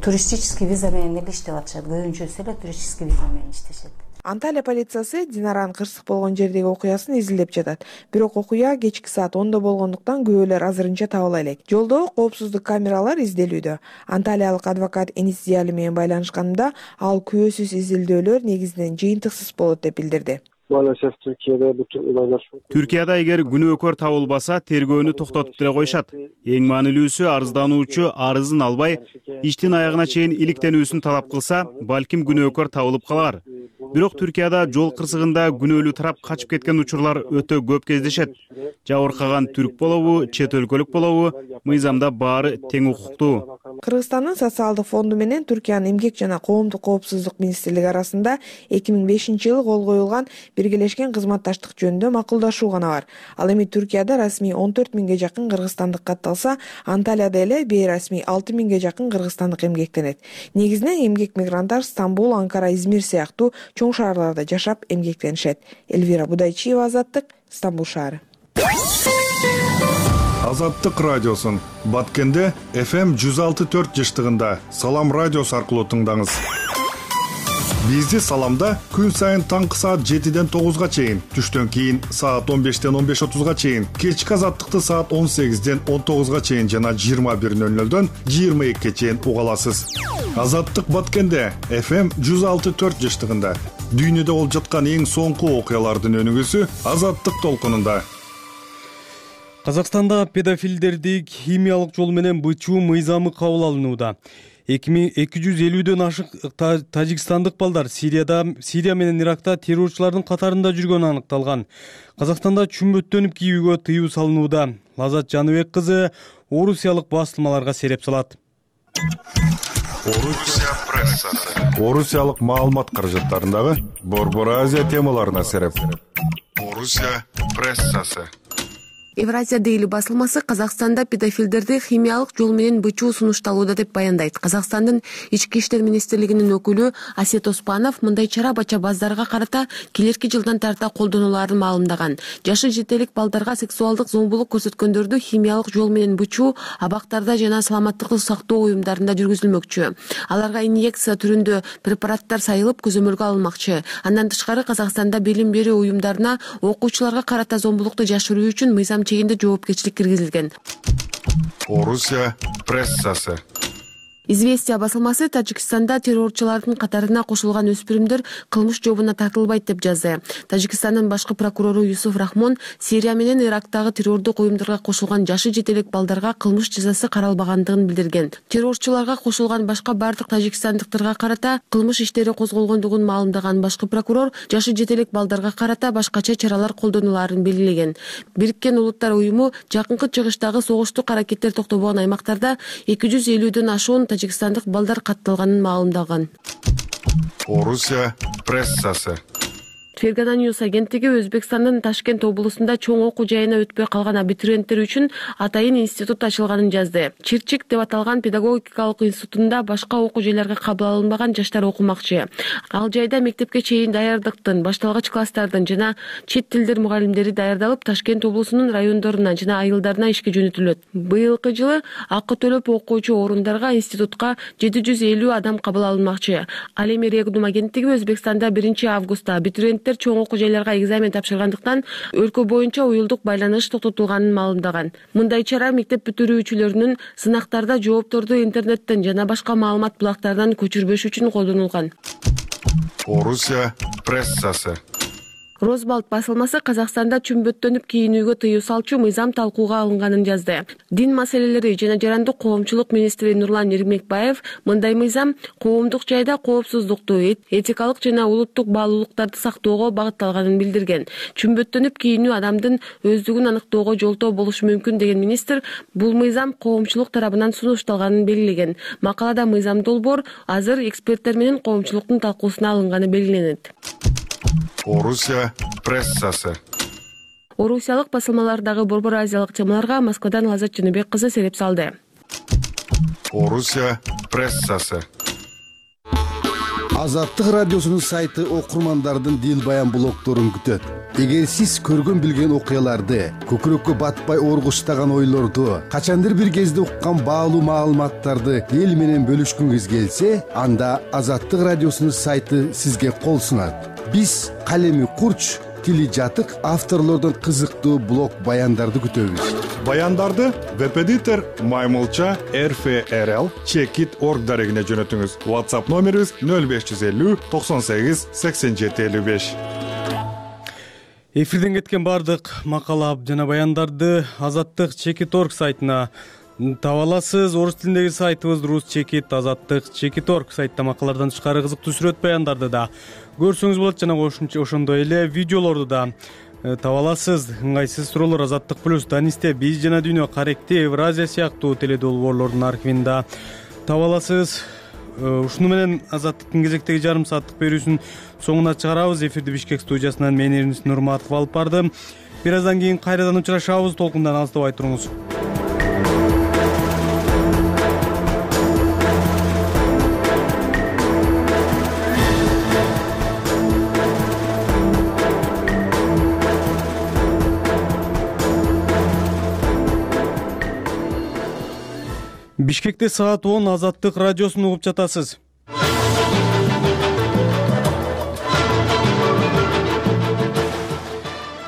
Speaker 24: Туристический виза менен эле иштеп атышат. Көбүнчөсү эле туристический виза менен иштешет.
Speaker 21: Анталия полициясы Динаранын кырсык болгон жердеги окуясын изилдеп жатат. Бирок окуя кечки саат 10-до болгондуктан күбөлөр азырынча табыла элек. Жолдо коопсуздук камералар изделүүдө. Анталиялык адвокат Энис Зияли менен байланышканда ал күбөсүз изилдөөлөр негизинен жыйынтыксыз болот деп билдирди.
Speaker 16: Түркияда эгер күнөөкөр табылбаса, тергөөнү токтотуп деле коюшат. Эң маанилүүсү арыздануучу арызын албай, иштин аягына чейин иликтенүүсүн талап кылса, балким күнөөкөр табылып калар. бирок Түркияда жол кырсыгында күнөөлүү тарап качып кеткен учурлар өтө көп кездешет. Жабыркаган түрк болобу, чет өлкөлүк болобу, мыйзамда баары тең укуктуу.
Speaker 21: Кыргызстандын социалдык фонду менен Түркиянын эмгек жана коомдук коопсуздук министрлиги арасында 2005-жылы кол коюлган биргелешкен кызматташтык жөнүндө макулдашуу гана бар. Ал эми Түркияда расмий 14 миңге жакын кыргызстандык катталса, Анталияда эле бейрасмий 6 миңге жакын кыргызстандык эмгектенет. Негизинен эмгек мигранттар Стамбул, Анкара, Измир сыяктуу чоң шаарларда жашап эмгектенишет. Элвира Будайчиева, Азаттык, Стамбул шаары.
Speaker 18: Азаттык радиосун Баткенде FM 106.4 жыштыгында Салам радиосу аркылуу тыңдаңыз. Бизди Саламда күн сайын таңкы саат 7-ден 9-га чейин, түштөн кийин саат 15-ден 15:30-га чейин, кечки Азаттыкты саат 18-ден 19-га чейин жана 21:00-дөн 22-ге чейин уга аласыз. Азаттык Баткенде FM 106.4 жыштыгында дүйнөдө болуп жаткан эң соңку окуялардын өнүгүүсү Азаттык толкунунда.
Speaker 1: Казакстанда педофилдерди химиялык жол менен бычуу мыйзамы кабыл алынууда. 2250дөн ашык тажикстандык балдар Сирия менен Иракта террорчулардын катарында жүргөнү аныкталган. Казакстанда чүмбөттөнүп кийүүгө тыюу салынууда. Лазат Жаныбек кызы орусиялык басылмаларга сереп салат.
Speaker 18: Орусия прессасы. Орусиялык маалымат каражаттарындагы Борбор Азия темаларына сереп. Орусия прессасы.
Speaker 5: Евразия Дейли басылмасы Казакстанда педофилдерди химиялык жол менен бычуу сунушталууда деп баяндайт. Казакстандын Ички иштер министрлигинин өкүлү Асет Оспанов мындай чара бача баздарга карата келерки жылдан тарта колдонуларын маалымдаган. Жашы жетелик балдарга сексуалдык зомбулук көрсөткөндөрдү химиялык жол менен бычуу абактарда жана саламаттыкты сактоо уюмдарында жүргүзүлмөкчү. Аларга инъекция түрүндө препараттар сайылып көзөмөлгө алынмакчы. Андан тышкары Казакстанда билим берүү уюмдарына окуучуларга карата зомбулукту жашыруу үчүн мыйзам чегинде жоопкерчилик киргизилген.
Speaker 18: Орусия прессасы.
Speaker 5: Известия басылмасы Тажикстанда террорчулардын катарына кошулган өспүрүмдөр кылмыш жообуна тартылбайт деп жазды. Тажикстандын башкы прокурору Юсуф Рахмон Сирия менен Ирактагы террордук уюмдарга кошулган жашы жетелек балдарга кылмыш жазасы каралбагандыгын билдирген. Террорчуларга кошулган башка бардык тажикстандыктарга карата кылмыш иштери козголгондугун маалымдаган башкы прокурор жашы жетелек балдарга карата башкача чаралар колдонуларын белгилеген. Бириккен Улуттар уюму жакынкы чыгыштагы согуштук аракеттер токтобогон аймактарда 250дөн ашуун тажикстандык балдар катталганын маалымдаган.
Speaker 18: Орусия прессасы.
Speaker 5: Фергана Ньюс агенттиги Өзбекстандын Ташкент облусунда чоң окуу жайына өтпөй калган абитуриенттер үчүн атайын институт ачылганын жазды. Чирчик деп аталган педагогикалык институтунда башка окуу жайларга кабыл алынбаган жаштар окумакчы. Ал жайда мектепке чейин даярдыктын, башталгыч класстардын жана чет тилдер мугалимдери даярдалып, Ташкент облусунун райондоруна жана айылдарына ишке жөнөтүлөт. Быйылкы жылы акы төлөп окуучу орундарга институтка 750 адам кабыл алынмакчы. Ал эми Регнум агенттиги Өзбекстанда 1 августта абитуриенттер чоң окуу жайларга экзамен тапшыргандыктан өлкө боюнча уюлдук байланыш токтотулганын маалымдаган. Мындай чара мектеп бүтүрүүчүлөрүнүн сынактарда жоопторду интернеттен жана башка маалымат булактарынан көчүрбөш үчүн колдонулган.
Speaker 18: Орусия прессасы.
Speaker 5: Розбалт басылмасы Казакстанда чүмбөттөнүп кийинүүгө тыюу салчу мыйзам талкууга алынганын жазды. Дин маселелери жана жарандык коомчулук министри Нурлан Эрмекбаев мындай мыйзам коомдук жайда коопсуздукту, этикалык жана улуттук баалуулуктарды сактоого багытталганын билдирген. Чүмбөттөнүп кийинүү адамдын өздүгүн аныктоого жолтоо болушу мүмкүн деген министр бул мыйзам коомчулук тарабынан сунушталганын белгилеген. Макалада мыйзам долбоор азыр эксперттер менен коомчулуктун талкуусуна алынганы белгиленет.
Speaker 18: Орусия прессасы.
Speaker 5: Орусиялык басылмалардагы Борбор Азиялык темаларга Москвадан Лазат Жаныбек кызы сереп салды.
Speaker 18: Орусия прессасы.
Speaker 2: Азаттык радиосунун сайты окурмандардын дил баян блогторун күтөт. Эгер сиз көргөн билген окуяларды, көкүрөккө батпай оргуштаган ойлорду, качандыр бир кезде уккан баалуу маалыматтарды эл менен бөлүшкүңүз келсе, анда Азаттык радиосунун сайты сизге кол сунат. Биз калеми курч, тили жатык авторлордон кызыктуу блог баяндарды күтөбүз.
Speaker 3: Баяндарды веб-эдитор Маймылча RFRL Checkit.org дарегине жөнөтүңүз. WhatsApp номерибиз 0550 98 87 55.
Speaker 1: Эфирден кеткен бардык макала жана баяндарды Азаттык Checkit.org сайтына таба аласыз. Орус тилиндеги сайтыбыз Рус Чекит, Азаттык Чекит.org сайттан макалалардан тышкары кызыктуу сүрөт баяндарды да көрсөңүз болот, жана ошондой эле видеолорду да таба аласыз. Ыңгайсыз суроолор Азаттык плюс, Данисте, Биз жана Дүйнө, Каректи, Евразия сыяктуу теледолбоорлордун архивин да таба аласыз. Ушуну менен Азаттыктын кезектеги жарым сааттык берүүсүн соңуна чыгарабыз. Эфирди Бишкек студиясынан мен Эрнис Нурматов алып бардым. Бир аздан кийин кайрадан учурашабыз. Толкундан алыстабай туруңуз. Бишкекте саат 10 Азаттык радиосун угуп жатасыз.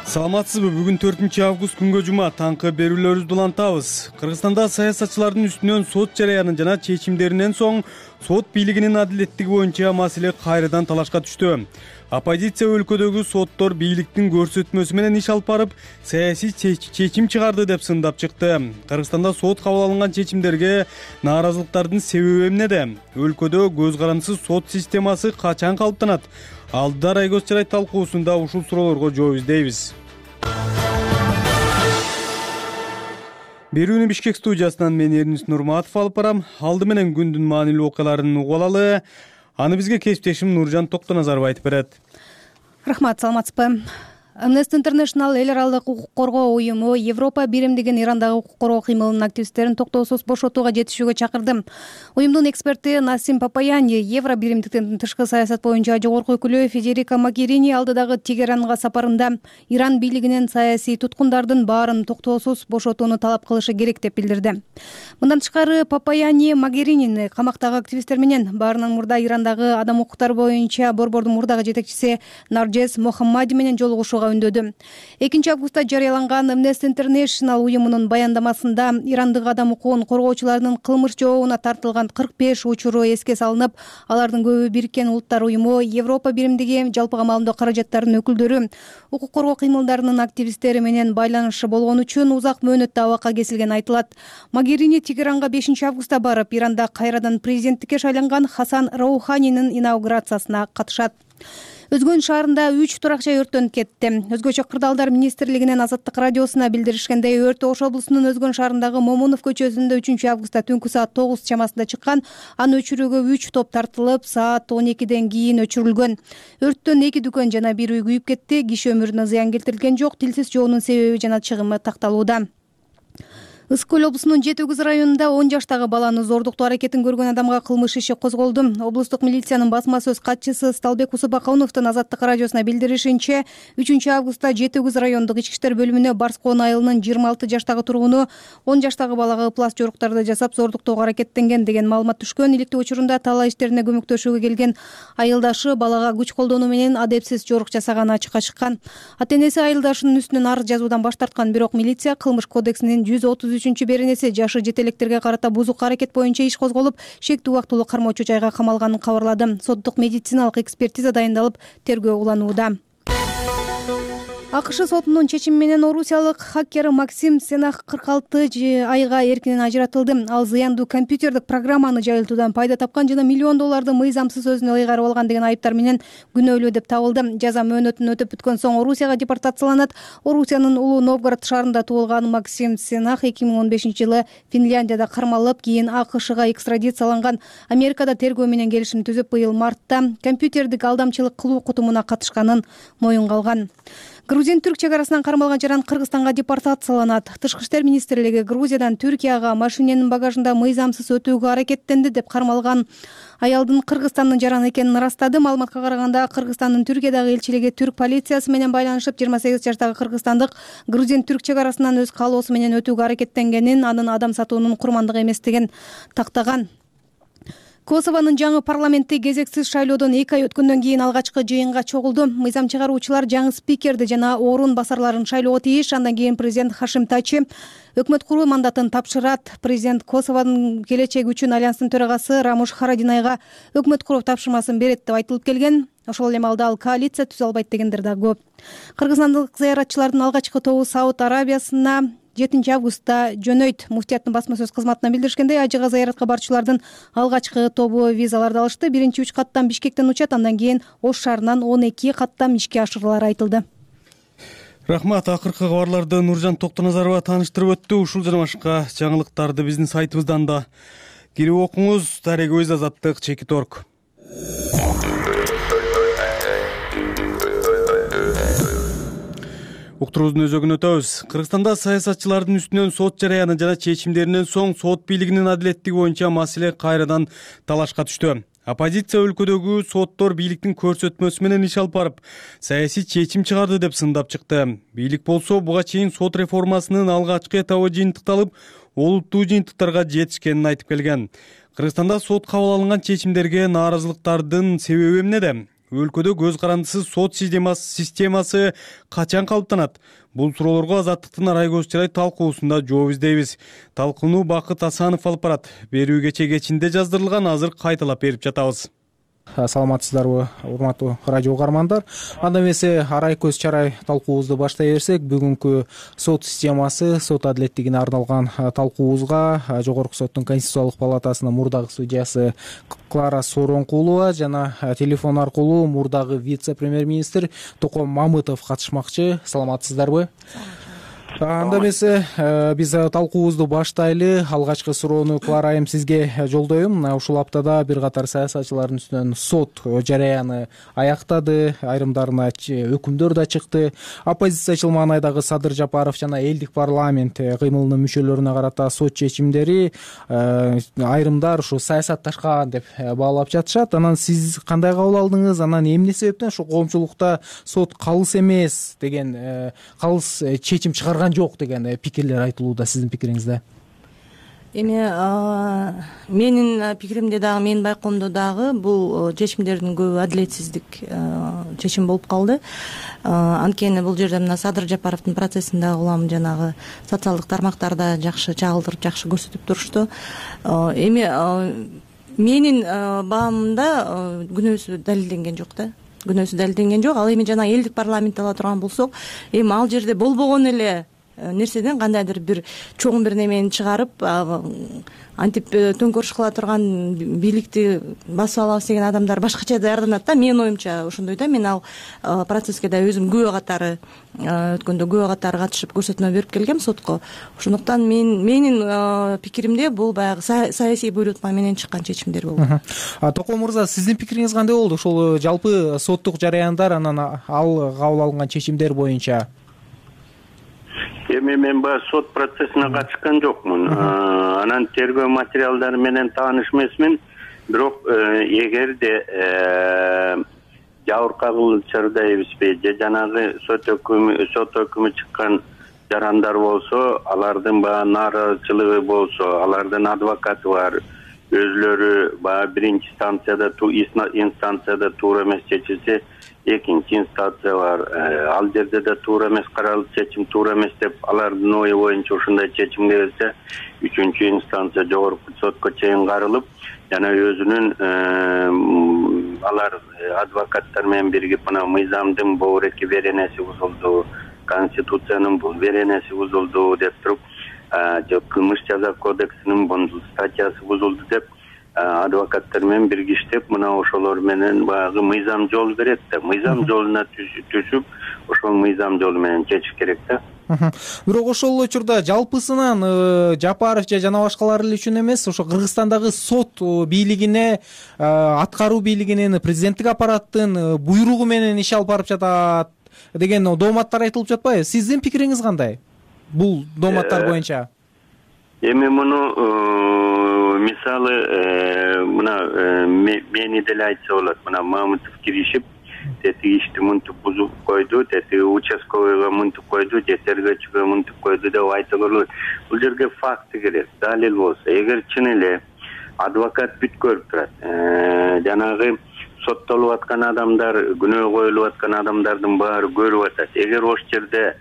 Speaker 1: Саламатсызбы? Бүгүн 4-август күнгө жума. Таңкы берүүлөрүбүздү улантабыз. Кыргызстанда саясатчылардын үстүнөн сот жарыянын жана чечимдеринен соң сот бийлигинин адилеттиги боюнча маселе кайрадан талашка түштү. Оппозиция өлкөдөгү соттор бийликтин көрсөтмөсү менен иш алып барып, саясий чечим чыгарды деп сындап чыкты. Кыргызстанда сот кабыл алынган чечимдерге нааразылыктардын себеби эмнеде? Өлкөдө көз карандысыз сот системасы качан калыптанат? Алдыда Айгөз Чарай талкуусунда ушул суроолорго жооп издейбиз. Берүүнү Бишкек студиясынан мен Эрнис Нурматов алып барам. Алды менен күндүн маанилүү окуяларын угуп алалы. Аны бизге кесиптешим Нуржан Токтоназаров айтып берет.
Speaker 6: Рахмат, саламатсызбы? Amnesty International эл аралык укук коргоо уюму Европа биримдигин Ирандагы укук коргоо кыймылынын активисттерин токтоосуз бошотууга жетишүүгө чакырды. Уюмдун эксперти Насим Папаяни Евро биримдиктин тышкы саясат боюнча жогорку өкүлү Федерико Могерини алдыдагы Тегеранга сапарында Иран бийлигинен саясий туткундардын баарын токтоосуз бошотууну талап кылышы керек деп билдирди. Мындан тышкары Папаяни Могеринини камактагы активисттер менен баарынан мурда Ирандагы адам укуктары боюнча борбордун мурдагы жетекчиси Нарджес Мохаммади менен жолугушууга үндөдү. 2-августта жарыяланган Amnesty International уюмунун баяндамасында Ирандык адам укугун коргоочулардын кылмыш жообуна тартылган 45 учуру эске салынып, алардын көбү Бириккен Улуттар уюму, Европа биримдиги жалпыга маалымдоо каражаттарынын өкүлдөрү, укук коргоо кыймылдарынын активисттери менен байланышы болгон үчүн узак мөөнөттө абакка кесилгени айтылат. Могерини Тегеранга 5-августта барып, Иранда кайрадан президенттикке шайланган Хасан Роуханинин инаугурациясына катышат. Өзгөн шаарында 3 турак-жай өрттөнүп кетти. Өзгөчө кырдаалдар министрлигинен Азаттык радиосуна билдиришкендей, өрт Ош облусунун Өзгөн шаарындагы Момунов көчөсүндө 3-августта түнкү саат 9 чамасында чыккан. Аны өчүрүүгө 3 топ тартылып, саат 12ден кийин өчүрүлгөн. Өрттөн 2 дүкөн жана 1 үй күйүп кетти. Киши өмүрүнө зыян келтирилген жок. Тилсиз жоонун себеби жана чыгымы такталууда. Ысык көл облусунун Жети Үгүз районунда 10 жаштагы баланы зордуктоо аракетин көргөн адамга кылмыш иши козголду. Облустук милициянын басма сөз катчысы Сталбек Усубакановдун Азаттык радиосуна билдиришинче, 3-августта Жети Үгүз райондук ички иштер бөлүмүнө Барскоон айылынын 26 жаштагы тургуну 10 жаштагы балага ыплас жоруктарды жасап зордуктоого аракеттенген деген маалымат түшкөн. Иликтөө учурунда талаа иштерине көмөктөшүүгө келген айылдашы балага күч колдонуу менен адепсиз жорук жасаганы ачыкка чыккан. Ата-энеси айылдашынын үстүнөн арыз жазуудан баш тарткан, бирок милиция кылмыш кодексинин 133 беренеси жашы жетелектерге карата бузук аракет боюнча иш козголуп, шектүү убактылуу кармоочу жайга камалганын кабарлады. Соттук медициналык экспертиза дайындалып, тергөө уланууда. АКШ сотунун чечими менен орусиялык хакер Максим Сенах 46 айга эркинен ажыратылды. Ал зыяндуу компьютердик программаны жайылтуудан пайда тапкан жана миллион долларды мыйзамсыз өзүнө ыйгарып алган деген айыптар менен күнөөлүү деп табылды. Жаза мөөнөтүн өтөп бүткөн соң Орусияга депортацияланат. Орусиянын Улуу Новгород шаарында туулган Максим Сенах 2015-жылы Финляндияда кармалып, кийин АКШга экстрадицияланган. Америкада тергөө менен келишим түзүп, быйыл мартта компьютердик алдамчылык кылуу кутумуна катышканын моюнга алган. Грузин-түрк чегарасынан кармалган жаран Кыргызстанга депортацияланат. Тышкы иштер министрлиги Грузиядан Түркияга машиненин багажында мыйзамсыз өтүүгө аракеттенди деп кармалган аялдын Кыргызстандын жараны экенин ырастады. Маалыматка караганда, Кыргызстандын Түркиядагы элчилиги түрк полициясы менен байланышып, 28 жаштагы кыргызстандык Грузин-түрк чегарасынан өз каалоосу менен өтүүгө аракеттенгенин, анын адам сатуунун курмандыгы эместигин тактаган. Косованын жаңы парламентти кезексиз шайлоодон 2 ай өткөндөн кийин алгачкы жыйынга чогулду. Мыйзам чыгаруучулар жаңы спикерди жана орун басарларын шайлоого тийиш. Андан кийин президент Хашим Тачи өкмөт куруу мандатын тапшырат. Президент Косованын келечеги үчүн альянстын төрагасы Рамуш Харадинайга өкмөт куруу тапшырмасын берет деп айтылып келген. Ошол эле маалда ал коалиция түзө албайт дегендер да көп. Кыргызстандык зыяратчылардын алгачкы тобу Сауд Арабиясына 7 августта жөнөйт. Муфтияттын басма сөз кызматынан билдиришкендей, ажыга зыяратка барчылардын алгачкы тобу визаларды алышты. Биринчи 3 каттам Бишкектен учат, андан кийин Ош шаарынан 12 каттам ишке ашырылары айтылды.
Speaker 1: Рахмат. Акыркы кабарларды Нуржан Токтоназарова тааныштырып өттү. Ушул жана башка жаңылыктарды биздин сайтыбыздан да кирип окуңуз. Дарек-Өз, Азаттык, Чекит.орг. Уктуруубуздун өзөгүн өтөбүз. Кыргызстанда саясатчылардын үстүнөн сот жараяны жана чечимдеринен соң сот бийлигинин адилеттиги боюнча маселе кайрадан талашка түштү. Оппозиция өлкөдөгү соттор бийликтин көрсөтмөсү менен иш алып барып, саясий чечим чыгарды деп сындап чыкты. Бийлик болсо буга чейин сот реформасынын алгачкы этабы жыйынтыкталып, олуттуу жыйынтыктарга жетишкенин айтып келген. Кыргызстанда сот кабыл алынган чечимдерге нааразылыктардын себеби эмнеде? Өлкөдө көз карандысыз сот системасы качан калыптанат? Бул суроолорго Азаттыктын Арайкөз Чырай талкуусунда жооп издейбиз. Талкууну Бакыт Асанов алып барат. Берүү кече кечинде жаздырылган, азыр кайталап берип жатабыз.
Speaker 7: Саламатсыздарбы, урматтуу радио угармандар. Анда эмесе Арайкөз Чарай талкуубузду баштай берсек, бүгүнкү сот системасы, сот адилеттигине арналган талкуубузга Жогорку соттун Конституциялык палатасынын мурдагы судьясы Клара Сооронкулова жана телефон аркылуу мурдагы вице-премьер-министр Током Мамытов катышмакчы. Саламатсыздарбы? Анда эмесе биз талкуубузду баштайлы. Алгачкы суроону Клара айым сизге жолдойм. Ушул аптада бир катар саясатчылардын үстүнөн сот жараяны аяктады, айрымдарына өкүмдөр да чыкты. Оппозициячыл маанайдагы Садыр Жапаров жана элдик парламент кыймылынын мүчөлөрүнө карата сот чечимдери айрымдар ушу саясатташкан деп баалап жатышат. Анан сиз кандай кабыл алдыңыз? Анан эмне себептен ушу коомчулукта сот калыс эмес деген, калыс чечим чыгарган жок деген пикирлер айтылууда. Сиздин пикириңизде?
Speaker 24: Эми менин пикиримде дагы, менин байкоомдо дагы бул чечимдердин көбү адилетсиздик чечим болуп калды. Анткени бул жерде мына Садыр Жапаровдун процессин дагы улам жанагы социалдык тармактарда жакшы чагылдырып, жакшы көрсөтүп турушту. Эми менин баамымда күнөөсү далилденген жок да. Күнөөсү далилденген жок. Ал эми жана элдик парламентти ала турган болсок, эми ал жерде болбогон эле нерседен кандайдыр бир чоң бир немени чыгарып, антип төңкөрүш кыла турган бийликти басып алабыз деген адамдар башкача даярданат да. Менин оюмча ошондой да. Мен ал процесске да өзүм күбө катары өткөндө күбө катары катышып көрсөтмө берип келгем сотко. Ошондуктан менин пикиримде бул баягы саясий буйрутма менен чыккан чечимдер болду.
Speaker 7: Током мырза, сиздин пикириңиз кандай болду? Ошол жалпы соттук жараяндар, анан ал кабыл алынган чечимдер боюнча?
Speaker 8: Эми мен баягы сот процессине катышкан жокмун. Анан тергөө материалдары менен тааныш эмесмин. Бирок эгерде жабыркай кылчу дейбизби, же жанагы сот өкүмү чыккан жарандар болсо, алардын баягы нааразычылыгы болсо, алардын адвокаты бар, өзүлөрү баягы биринчи инстанцияда туура эмес чечилсе, экинчи инстанция бар. Ал жерде да туура эмес каралып, чечим туура эмес деп алардын ою боюнча ушундай чечимге келсе, үчүнчү инстанция жогорку сотко чейин каралып, жана өзүнүн алар адвокаттар менен биригип мына мыйзамдын бобуреки беренеси бузулду, конституциянын бул беренеси бузулду деп туруп, же кылмыш жаза кодексинин бул статьясы бузулду деп адвокаттар менен биргиштеп, мына ошолор менен баягы мыйзам жол берет да. Мыйзам жолуна түшүп, ошол мыйзам жолу менен чечиш керек да.
Speaker 7: Бирок ошол учурда жалпысынан Жапаров же жана башкалар эле үчүн эмес, ошо Кыргызстандагы сот бийлигине, аткаруу бийлигинин, президенттик аппараттын буйругу менен иш алып барып жатат деген дооматтар айтылып жатпайбы? Сиздин пикириңиз кандай бул дооматтар боюнча?
Speaker 8: Эми муну мисалы мына мени деле айтса болот. Мына Мамытов киришип, тетиги ишти мынтип бузуп койду, тетиги участковыйга мынтип койду, же тергөөчүгө мынтип койду деп айтылып болот. Бул жерге факты керек, далил болсо. Эгер чын эле адвокат бүт көрүп турат, жанагы соттолуп аткан адамдар, күнөө коюлуп аткан адамдардын баары көрүп атат. Эгер ошол жерде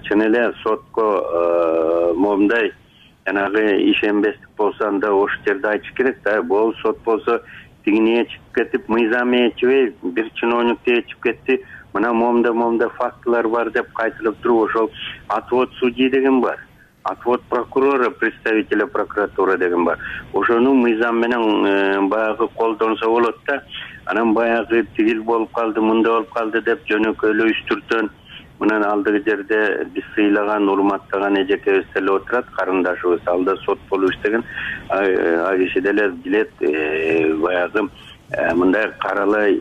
Speaker 8: чын эле сотко момундай жанагы ишенбестик болсо, анда ошол жерде айтыш керек да. Бул сот болсо тигине чыгып кетип, мыйзам ээрчибей, бир чиновник ээрчип кетти, мына момда фактылар бар деп кайтылып туруп ошол отвод судьи деген бар, отвод прокурора, представителя прокуратура деген бар. Ошону мыйзам менен баягы колдонсо болот да. Анан баягы тигил болуп калды, мындай болуп калды деп жөнөкөйлөө үстүртөн мынан алдыгы жерде биз сыйлаган, урматтаган эжекебиз деле отурат, карындашыбыз, алда сот болуп иштеген. А киши деле билет баягы мындай каралай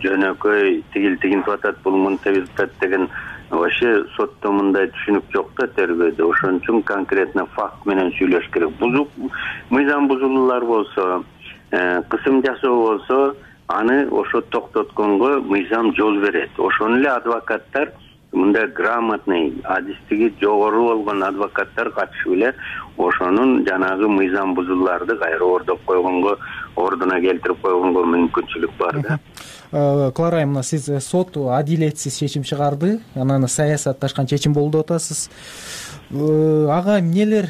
Speaker 8: жөнөкөй тигинтип атат, бул мынтип атат деген вообще сотто мындай түшүнүк жок да тергөөдө. Ошон үчүн конкретно факт менен сүйлөш керек. Мыйзам бузулуулар болсо, кысым жасоо болсо, аны ошо токтотконго мыйзам жол берет. Ошону эле адвокаттар мындай грамотный, адистиги жогору болгон адвокаттар катышып эле ошонун жанагы мыйзам бузууларды кайра ордоп койгонго, ордуна келтирип койгонго мүмкүнчүлүк бар да.
Speaker 7: Клара айымына, сиз сот адилетсиз чечим чыгарды, анан саясатташкан чечим болду деп атасыз. Ага эмнелер,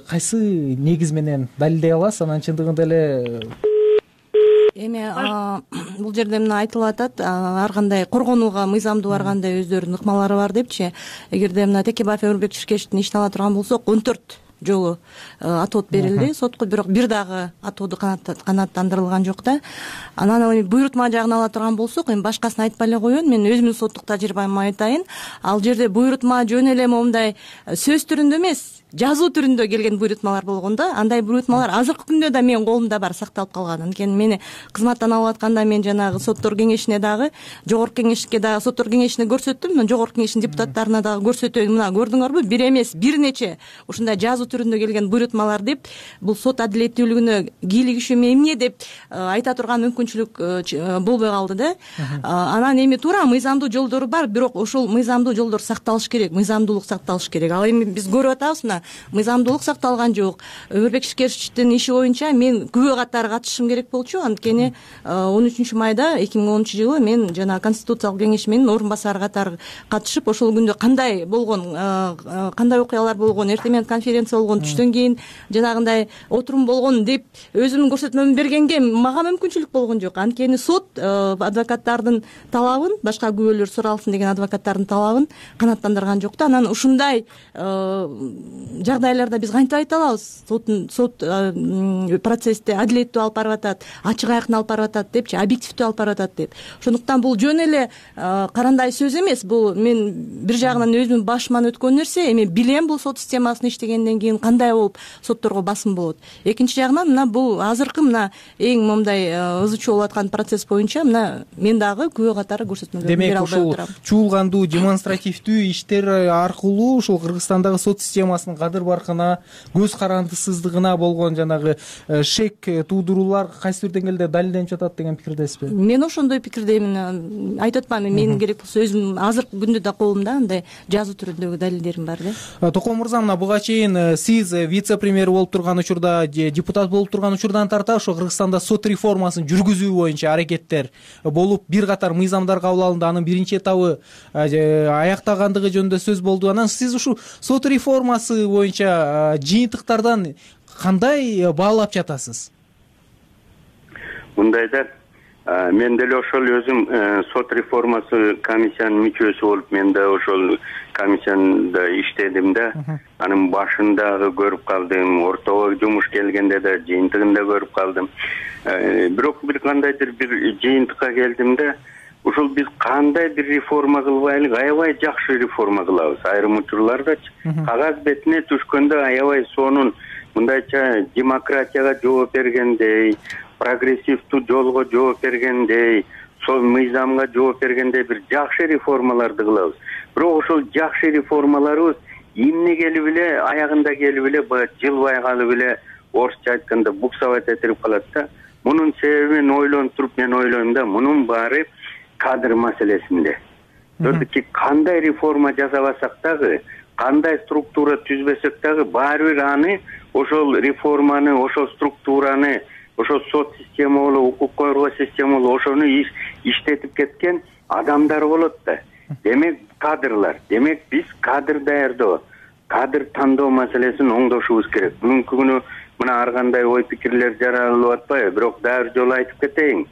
Speaker 7: кайсы негиз менен далилдей аласыз? Анан чындыгында эле
Speaker 9: эми бул жерде мына айтылып атат, ар кандай коргонууга мыйзамдуу ар кандай өздөрүнүн ыкмалары бар депчи. Эгерде мына Текебаев Өмүрбек Ширкечтин ишин ала турган болсок, 14 жолу отвод берилди сотко, бирок бир дагы отводу канааттандырылган жок да. Анан эми буйрутма жагын ала турган болсок, эми башкасын айтпай эле коеюн, мен өзүмдүн соттук тажрыйбамды айтайын. Ал жерде буйрутма жөн эле момундай сөз түрүндө эмес, жазуу түрүндө келген буйрутмалар болгон да. Андай буйрутмалар азыркы күндө да менин колумда бар, сакталып калган. Анткени мени кызматтан алып атканда мен жанагы соттор кеңешине дагы, жогорку кеңешке дагы, соттор кеңешине көрсөттүм, мен жогорку кеңештин депутаттарына дагы көрсөтөйүн. Мына көрдүңөрбү, бир эмес, бир нече ушундай жазуу түрүндө келген буйрутмалар деп, бул сот адилеттүүлүгүнө кийлигиши эмне деп айта турган мүмкүнчүлүк болбой калды да. Анан эми туура мыйзамдуу жолдору бар, бирок ошол мыйзамдуу жолдор сакталыш керек, мыйзамдуулук сакталыш керек. Ал эми биз көрүп атабыз, мына мыйзамдуулук сакталган жок. Өмүрбек Ширкечтин иши боюнча мен күбө катары катышышым керек болчу. Анткени 13 майда 2010-жылы мен жана Конституциялык кеңеш менин орун басары катары катышып, ошол күндө кандай болгон, кандай окуялар болгон, эртең менен конференция болгон, түштөн кийин жанагындай отурум болгон деп өзүмдүн көрсөтмөмдү бергенге мага мүмкүнчүлүк болгон жок. Анткени сот адвокаттардын талабын, башка күбөлөр суралсын деген адвокаттардын талабын канааттандырган жок да. Анан ушундай жагдайларда биз кантип айта алабыз? Сот процессти адилеттүү алып барып атат, ачык айкын алып барып атат депчи, объективдүү алып барып атат деп. Ошондуктан бул жөн эле карандай сөз эмес. Бул мен бир жагынан өзүмдүн башыман өткөн нерсе. Эми билем бул сот системасын иштегенден кийин кандай болуп сотторго басым болот. Экинчи жагынан мына бул азыркы мына эң момундай ызы чуу болуп аткан процесс боюнча мына мен дагы күбө катары көрсөтмөлөрдү бере албай отурам.
Speaker 7: Демек, ушул чуулгандуу демонстративдүү иштер аркылуу ушул Кыргызстандагы сот системасынын кадыр баркына, көз карандысыздыгына болгон жанагы шек туудуруулар кайсы бир деңгээлде далилденип жатат деген пикирдесизби?
Speaker 9: Мен ошондой пикирдеймин. Айтып атпаймынбы, менин керек болсо өзүм азыркы күндө да колумда андай жазуу түрүндөгү далилдерим бар да.
Speaker 7: Токон мырза, мына буга чейин сиз вице-премьер болуп турган учурда, депутат болуп турган учурдан тарта ошо Кыргызстанда сот реформасын жүргүзүү боюнча аракеттер болуп, бир катар мыйзамдар кабыл алынды. Анын биринчи этабы аяктагандыгы жөнүндө сөз болду. Анан сиз ушул сот реформасы боюнча жыйынтыктардан кандай баалап жатасыз?
Speaker 8: Мындайда мен деле ошол өзүм сот реформасы комиссиянын мүчөсү болуп, мен да ошол комиссияда иштедим да. Анын башындагы көрүп калдым, ортого жумуш келгенде да жыйынтыгында көрүп калдым. Бирок бир кандайдыр бир жыйынтыкка келдим да. Ушул биз кандай бир реформа кылбайлы, аябай жакшы реформа кылабыз. Айрым учурлардачы кагаз бетине түшкөндө аябай сонун мындайча демократияга жооп бергендей, прогрессивдүү жолго жооп бергендей, сол мыйзамга жооп бергендей бир жакшы реформаларды кылабыз. Бирок ошол жакшы реформаларыбыз эмне келип эле, аягында келип эле, жылбай калып эле, орусча айтканда буксовать этирип калат да. Мунун себебин ойлонуп туруп мен ойлойм да, мунун баары кадр маселесинде. Төрдүки кандай реформа жасабасак дагы, кандай структура түзбөсөк дагы, баары бир аны, ошол реформаны, ошол структураны, ошол сот система болобу, укук коргоо система болобу, ошону иштетип кеткен адамдар болот да. Демек кадрлар, демек биз кадр даярдоо, кадр тандоо маселесин оңдошубуз керек. Бүгүнкү күнү мына ар кандай ой пикирлер жаралып атпайбы, бирок дагы бир жолу айтып кетейин.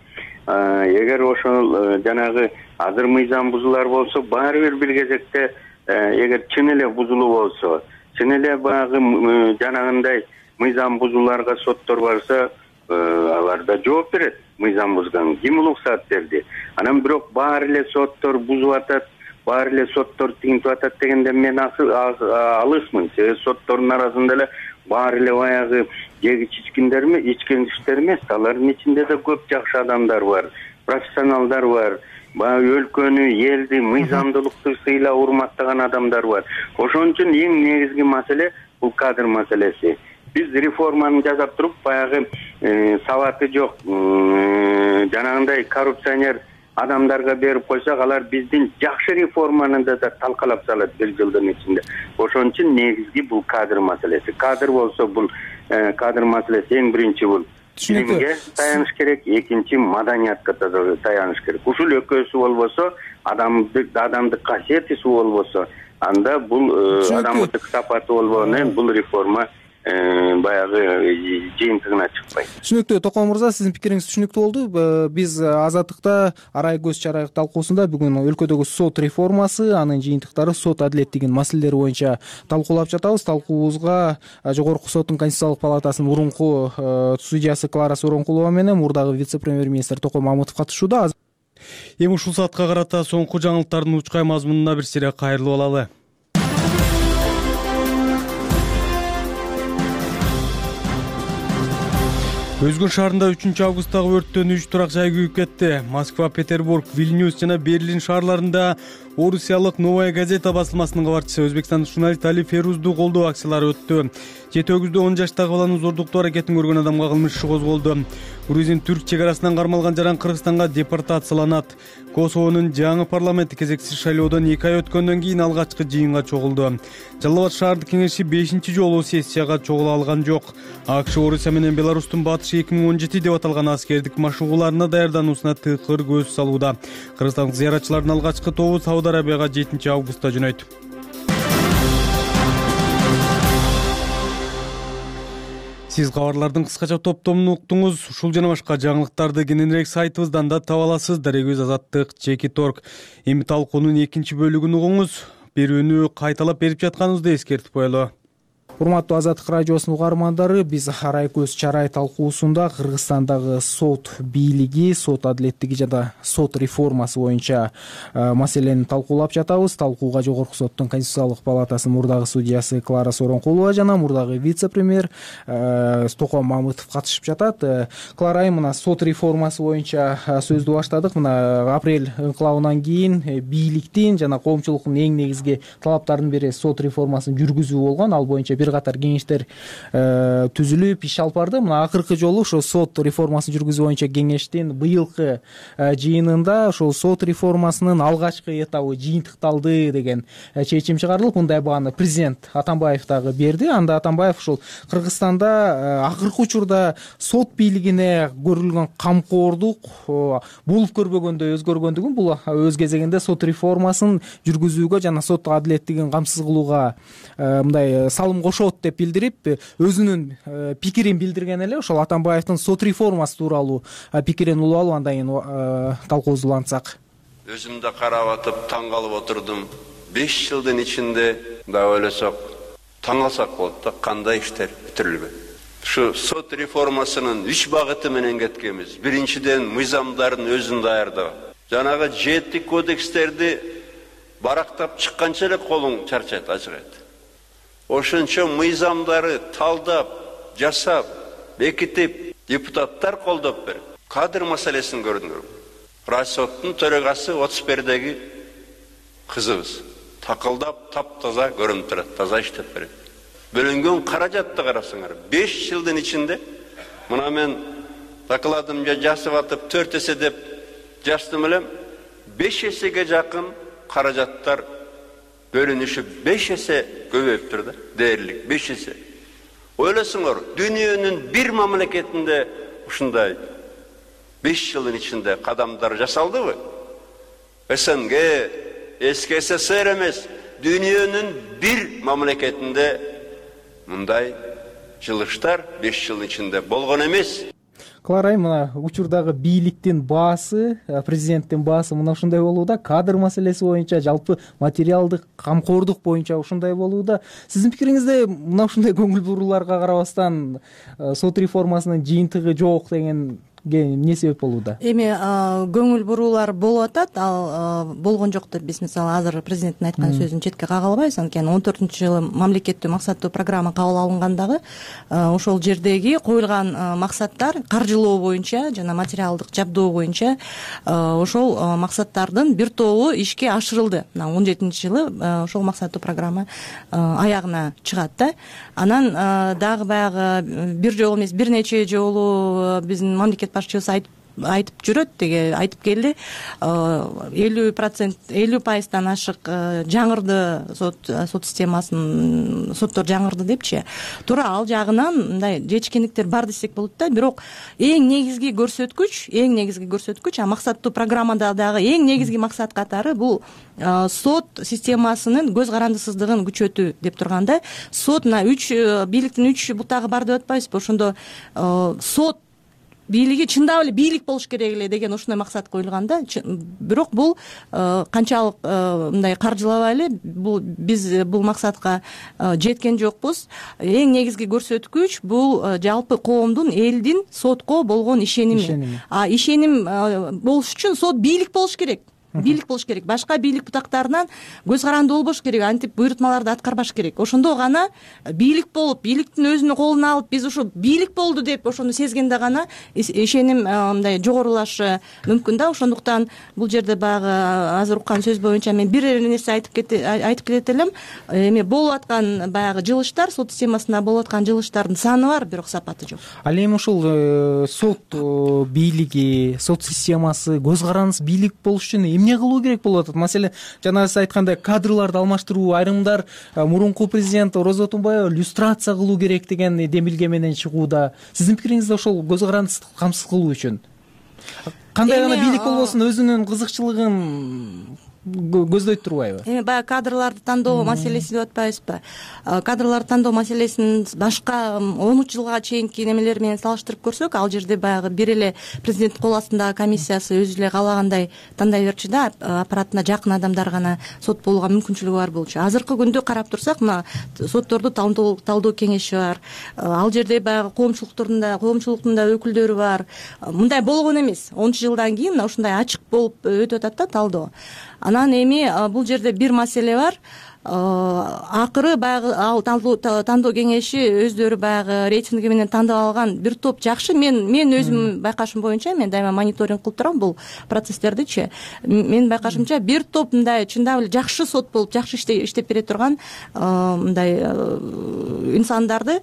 Speaker 8: эгер ошол жанагы азыр мыйзам бузуулар болсо баары бир кезекте эгер чын эле бузулуу болсо, чын эле баягы жанагындай мыйзам бузууларга соттор барса, алар да жооп берет. Мыйзам бузган ким уруксат берди? Анан бирок баары эле соттор бузуп атат, баары эле соттор тигинтип атат дегенде мен алысмын. Себеби соттордун арасында эле баары эле баягы жегич ичкендиштер эмес, алардын ичинде да көп жакшы адамдар бар, профессионалдар бар, баягы өлкөнү, элди, мыйзамдуулукту сыйлап урматтаган адамдар бар. Ошон үчүн эң негизги маселе бул кадр маселеси. Биз реформаны жасап туруп, баягы сабаты жок, жанагындай коррупционер адамдарга берип койсок, алар биздин жакшы реформаны да талкалап салат бир жылдын ичинде. Ошон үчүн негизги бул кадр маселеси. Кадр болсо бул кадр маселеси эң биринчи бул билимге таяныш керек, экинчи маданиятка таяныш керек. Ушул экөөсү болбосо, адамдык касиети болбосо, анда бул адамдык сапаты болбогондон бул реформа баягы жыйынтыгына чыкпайт.
Speaker 7: Түшүнүктүү. Токон мырза, сиздин пикириңиз түшүнүктүү болду. Биз Азаттыкта арай көз чарай талкуусунда бүгүн өлкөдөгү сот реформасы, анын жыйынтыктары, сот адилеттигинин маселелери боюнча талкуулап жатабыз. Талкуубузга Жогорку соттун Конституциялык палатасынын мурунку судьясы Клара Сооронкулова менен мурдагы вице-премьер-министр Токон Мамытов катышууда.
Speaker 1: Эми ушул саатка карата соңку жаңылыктардын учкай мазмунуна бир сире кайрылып алалы. Өзгүн шаарында 3-августтагы өрттөн 3 турак жай күйүп кетти. Москва, Петербург, Вильнюс жана Берлин шаарларында орусиялык Новая газета басылмасынын кабарчысы Өзбекстандык журналист Али Ферузду колдоо акциялары өттү. 7-10 жаштагы баланын зордуктоо аракетин көргөн адамга кылмыш иши козголду. Грузин-түрк чек арасынан кармалган жаран Кыргызстанга депортацияланат. Косовонун жаңы парламенти кезексиз шайлоодон 2 ай өткөндөн кийин алгачкы жыйынга чогулду. Жалал Абад шаардык кеңеши 5-чи жолу сессияга чогула алган жок. АКШ Орусия менен Беларустун батышы 2017 деп аталган аскердик машыгууларына даярдануусуна тыкыр көз салууда. Кыргызстандык зыяратчылардын алгачкы тобу Сауд Арабияга 7-августта жөнөйт. Сиз кабарлардын кыскача топтомун уктуңуз. Ушул жана башка жаңылыктарды кененирээк сайтыбыздан да таба аласыз. Дарегөз Азаттык /Торг. Эми талкуунун экинчи бөлүгүн угуңуз. Берүүнү кайталап берип жатканыбызды эскертип коелу.
Speaker 7: Урматтуу Азаттык радиосунун угармандары, биз арай көз чарай талкуусунда Кыргызстандагы сот бийлиги, сот адилеттиги жана сот реформасы боюнча маселени талкуулап жатабыз. Талкууга Жогорку соттун Конституциялык палатасынын мурдагы судьясы Клара Сооронкулова жана мурдагы вице-премьер Токон Мамытов катышып жатат. Клара, мына сот реформасы боюнча сөздү баштадык. Мына апрель инкылабынан кийин бийликтин жана коомчулуктун эң негизги талаптарынын бири сот реформасын жүргүзүү болгон. Ал боюнча бир катар кеңештер түзүлүп иш алып барды. Мына акыркы жолу ошо сот реформасын жүргүзүү боюнча кеңештин быйылкы жыйынында ошол сот реформасынын алгачкы этабы жыйынтыкталды деген чечим чыгарылып, мындай бааны президент Атамбаев дагы берди. Анда Атамбаев ушул Кыргызстанда акыркы учурда сот бийлигине көрүлгөн камкордук болуп көрбөгөндөй өзгөргөндүгүн, бул өз кезегинде сот реформасын жүргүзүүгө жана сот адилеттигин камсыз кылууга мындай салым кошот деп билдирип, өзүнүн пикирин билдирген эле. Ошол Атамбаевдин сот реформасы тууралуу пикирин улуу алып, андан кийин талкуубузду улантсак.
Speaker 10: Өзүм да карап атып таң калып отурдум. 5 жылдын ичинде да ойлосок таң калсак болот да, кандай иштер бүтүрүлгөн. Ушу сот реформасынын 3 багыты менен кеткенбиз. Биринчиден, мыйзамдардын өзүн даярдоо. Жанагы 7 кодекстерди барактап чыкканча эле колуң чарчайт, ачыгат. Ошончо мыйзамдары талдап, жасап, бекитип, депутаттар колдоп берип, кадр маселесин көрдүңөр. Райсоттун төрөгасы 31-деги кызыбыз. Такылдап, таптаза көрүнүп турат, таза иштеп берет. Бөлүнгөн каражатты карасаңар, 5 жылдын ичинде, мына мен докладымда жасап атып 4 эсе деп жаздым элем, 5 эсеге жакын каражаттар бөлүнүшү 5 эсе көбөйүп турду, дээрлик 5 эсе. Ойлосоңор, дүйнөнүн бир мамлекетинде ушундай 5 жылдын ичинде кадамдар жасалдыбы? СНГ, эски СССР эмес, дүйнөнүн бир мамлекетинде мындай жылыштар 5 жылдын ичинде болгон эмес.
Speaker 7: Клара айым, мына учурдагы бийликтин баасы, президенттин баасы мына ушундай болууда, кадр маселеси боюнча, жалпы материалдык камкордук боюнча ушундай болууда. Сиздин пикириңизде мына ушундай көңүл бурууларга карабастан сот реформасынын жыйынтыгы жок деген эмне себеп болууда?
Speaker 9: Эми көңүл буруулар болуп атат, ал болгон жок деп биз мисалы азыр президенттин айткан сөзүн четке кага албайбыз. Анткени 14-жылы мамлекеттүү максаттуу программа кабыл алынгандагы ошол жердеги коюлган максаттар каржылоо боюнча жана материалдык жабдоо боюнча ошол максаттардын бир тобу ишке ашырылды. Мына 17-жылы ошол максаттуу программа аягына чыгат да. Анан дагы баягы бир жолу эмес, бир нече жолу биздин мамлекет башчыбыз айтып жүрөт, деге айтып келди, 50%, ашык жаңырды сот системасын, соттор жаңырды депчи. Туура ал жагынан мындай жетишкендиктер бар десек болот да. Бирок эң негизги көрсөткүч, максаттуу программада дагы эң негизги максат катары бул сот системасынын көз карандысыздыгын күчөтүү деп турганда, сот мына бийликтин 3 бутагы бар деп атпайбызбы? Ошондо сот бийлиги чындап эле бийлик болуш керек эле деген ушундай максат коюлган да. Бирок бул канчалык мындай каржылабай эле биз бул максатка жеткен жокпуз. Эң негизги көрсөткүч бул жалпы коомдун, элдин сотко болгон ишеними. Ишеним болуш үчүн сот бийлик болуш керек. Башка бийлик бутактарынан көз карандуу болбош керек, антип буйрутмаларды аткарбаш керек. Ошондо гана бийлик болуп, бийликтин өзүнүн колуна алып, биз ушу бийлик болду деп ошону сезгенде гана ишеним мындай жогорулашы мүмкүн да. Ошондуктан бул жерде баягы азыр уккан сөз боюнча мен бир нерсе айтып кетет элем. Эми болуп аткан баягы жылыштар, сот системасында болуп аткан жылыштардын саны бар, бирок сапаты жок.
Speaker 7: Ал эми ушул сот бийлиги, сот системасы көз карандысыз бийлик болуш үчүн эмне кылуу керек болуп атат? Маселен, жана сиз айткандай кадрларды алмаштыруу, айрымдар мурунку президент Роза Отунбаева люстрация кылуу керек деген демилге менен чыгууда. Сиздин пикириңизде ошол көз карандысыздыкты камсыз кылуу үчүн кандай гана бийлик болбосун өзүнүн кызыкчылыгын көздөйт турбайбы?
Speaker 9: Эми баягы кадрларды тандоо маселеси деп атпайбызбы? Кадрларды тандоо маселесин башка 13 жылга чейинки немелер менен салыштырып көрсөк, ал жерде баягы бир эле президенттин кол астындагы комиссиясы өзү эле каалагандай тандай берчү да, аппаратына жакын адамдар гана сот болууга мүмкүнчүлүгү бар болчу. Азыркы күндө карап турсак, мына сотторду талдоо кеңеши бар. Ал жерде баягы коомчулуктун да өкүлдөрү бар. Мындай болгон эмес. 10 жылдан кийин мына ушундай ачык болуп өтүп атат да талдоо. Анан эми бул жерде бир маселе бар. Акыры баягы ал тандоо кеңеши өздөрү баягы рейтинги менен тандап алган бир топ жакшы, мен өзүм байкашым боюнча, мен дайыма мониторинг кылып турам бул процесстердичи. Менин байкашымча бир топ мындай чындап эле жакшы сот болуп, жакшы иштеп бере турган мындай инсандарды,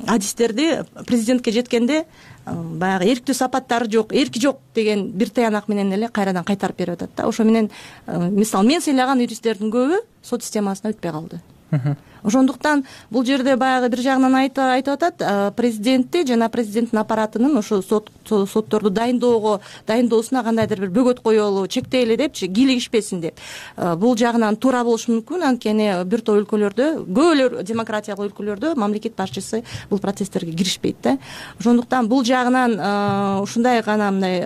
Speaker 9: адистерди президентке жеткенде баягы эрктүү сапаттары жок, эрки жок деген бир таянак менен эле кайрадан кайтарып берип атат да. Ошо менен мисалы мен сыйлаган юристтердин көбү сот системасына өтпөй калды. Ошондуктан бул жерде баягы бир жагынан айтып атат, президентти жана президенттин аппаратынын ошо сотторду дайындоосуна кандайдыр бир бөгөт коелу, чектейли депчи, кийлигишпесин деп. Бул жагынан туура болушу мүмкүн, анткени бир топ өлкөлөрдө, көбү демократиялык өлкөлөрдө мамлекет башчысы бул процесстерге киришпейт да. Ошондуктан бул жагынан ушундай гана мындай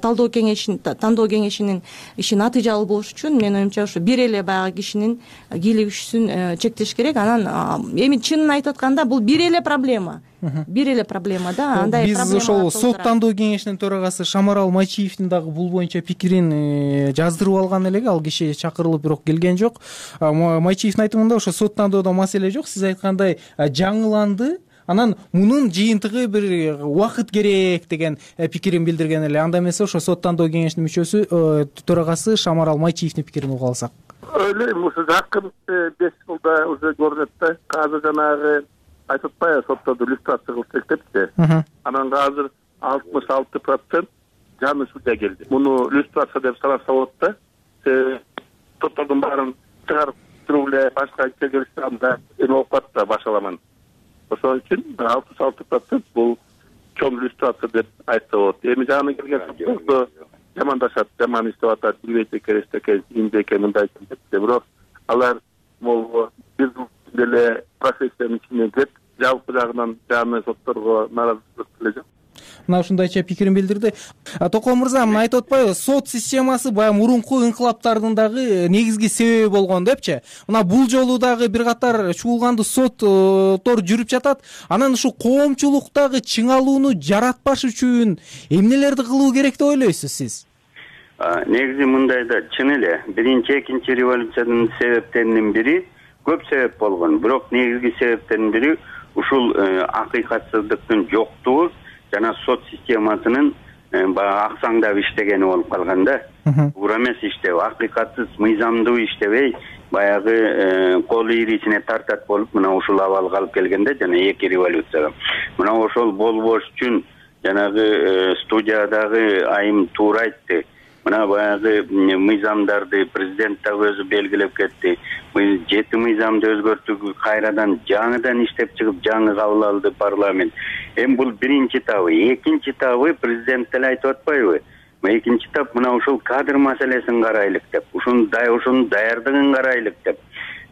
Speaker 9: тандоо кеңешинин иши натыйжалуу болуш үчүн мен оюмча ошо бир эле баягы кишинин кийлигишүүсүн чектеш керек. Анан эми чынын айтып атканда бул бир эле проблема да. Андай
Speaker 7: биз ошол сот тандоо кеңешинин төрагасы Шамарал Майчиевдин дагы бул боюнча пикирин жаздырып алган элек. Ал киши чакырылып бирок келген жок. Майчиевдин айтымында ошо сот тандоодо маселе жок, сиз айткандай жаңыланды. Анан мунун жыйынтыгы бир убакыт керек деген пикирин билдирген эле. Анда эмесе ошо сот тандоо кеңешинин мүчөсү төрагасы Шамарал Майчиевдин пикирин угуп алсак.
Speaker 11: Ойлойм, ушу жакын 5 жылда уже көрүнөт да. Азыр жанагы айтып атпайбы, сотторду люстрация кылсак депчи. Анан азыр 66% жаңы судья келди. Муну люстрация деп санаса болот да. Соттордун баарын чыгарып туруп эле башка келишканда эме болуп калат да, башаламан. Ошон үчүн 66% бул чоң люстрация деп айтса болот. Эми жаңы келген сотторду жамандашат, жаман иштеп атат, билбейт экен, эмне экен, мындай экен деп. Бирок алар могу бир эле профессиянын ичинен кирип, жалпы жагынан жаңы сотторго нааразычылык
Speaker 7: мына ушундайча пикирин билдирди. Токон мырза, мына айтып атпайбы, сот системасы баягы мурунку инкылаптардын дагы негизги себеби болгон депчи. Мына бул жолу дагы бир катар чуулгандуу соттор жүрүп жатат. Анан ушу коомчулуктагы чыңалууну жаратпаш үчүн эмнелерди кылуу керек деп ойлойсуз сиз?
Speaker 8: Негизи мындай да, чын эле биринчи экинчи революциянын себептеринин бири көп себеп болгон. Бирок негизги себептердин бири ушул акыйкатсыздыктын жоктугу жана сот системасынын баягы аксаңдап иштегени болуп калган да. Туура эмес иштеп, акыйкатсыз, мыйзамдуу иштебей, баягы колу ирисине тартат болуп мына ушул абалга алып келгенде жана эки революцияга. Мына ошол болбош үчүн жанагы студиядагы айым туура айтты. Мына баягы мыйзамдарды президент дагы өзү белгилеп кетти. 7 мыйзамды өзгөртүүгө кайрадан жаңыдан иштеп чыгып жаңы кабыл алды парламент. Эми бул биринчи табы. Экинчи табы президент деле айтып атпайбы? Экинчи тап мына ушул кадр маселесин карайлык деп, ушунун даярдыгын карайлык деп.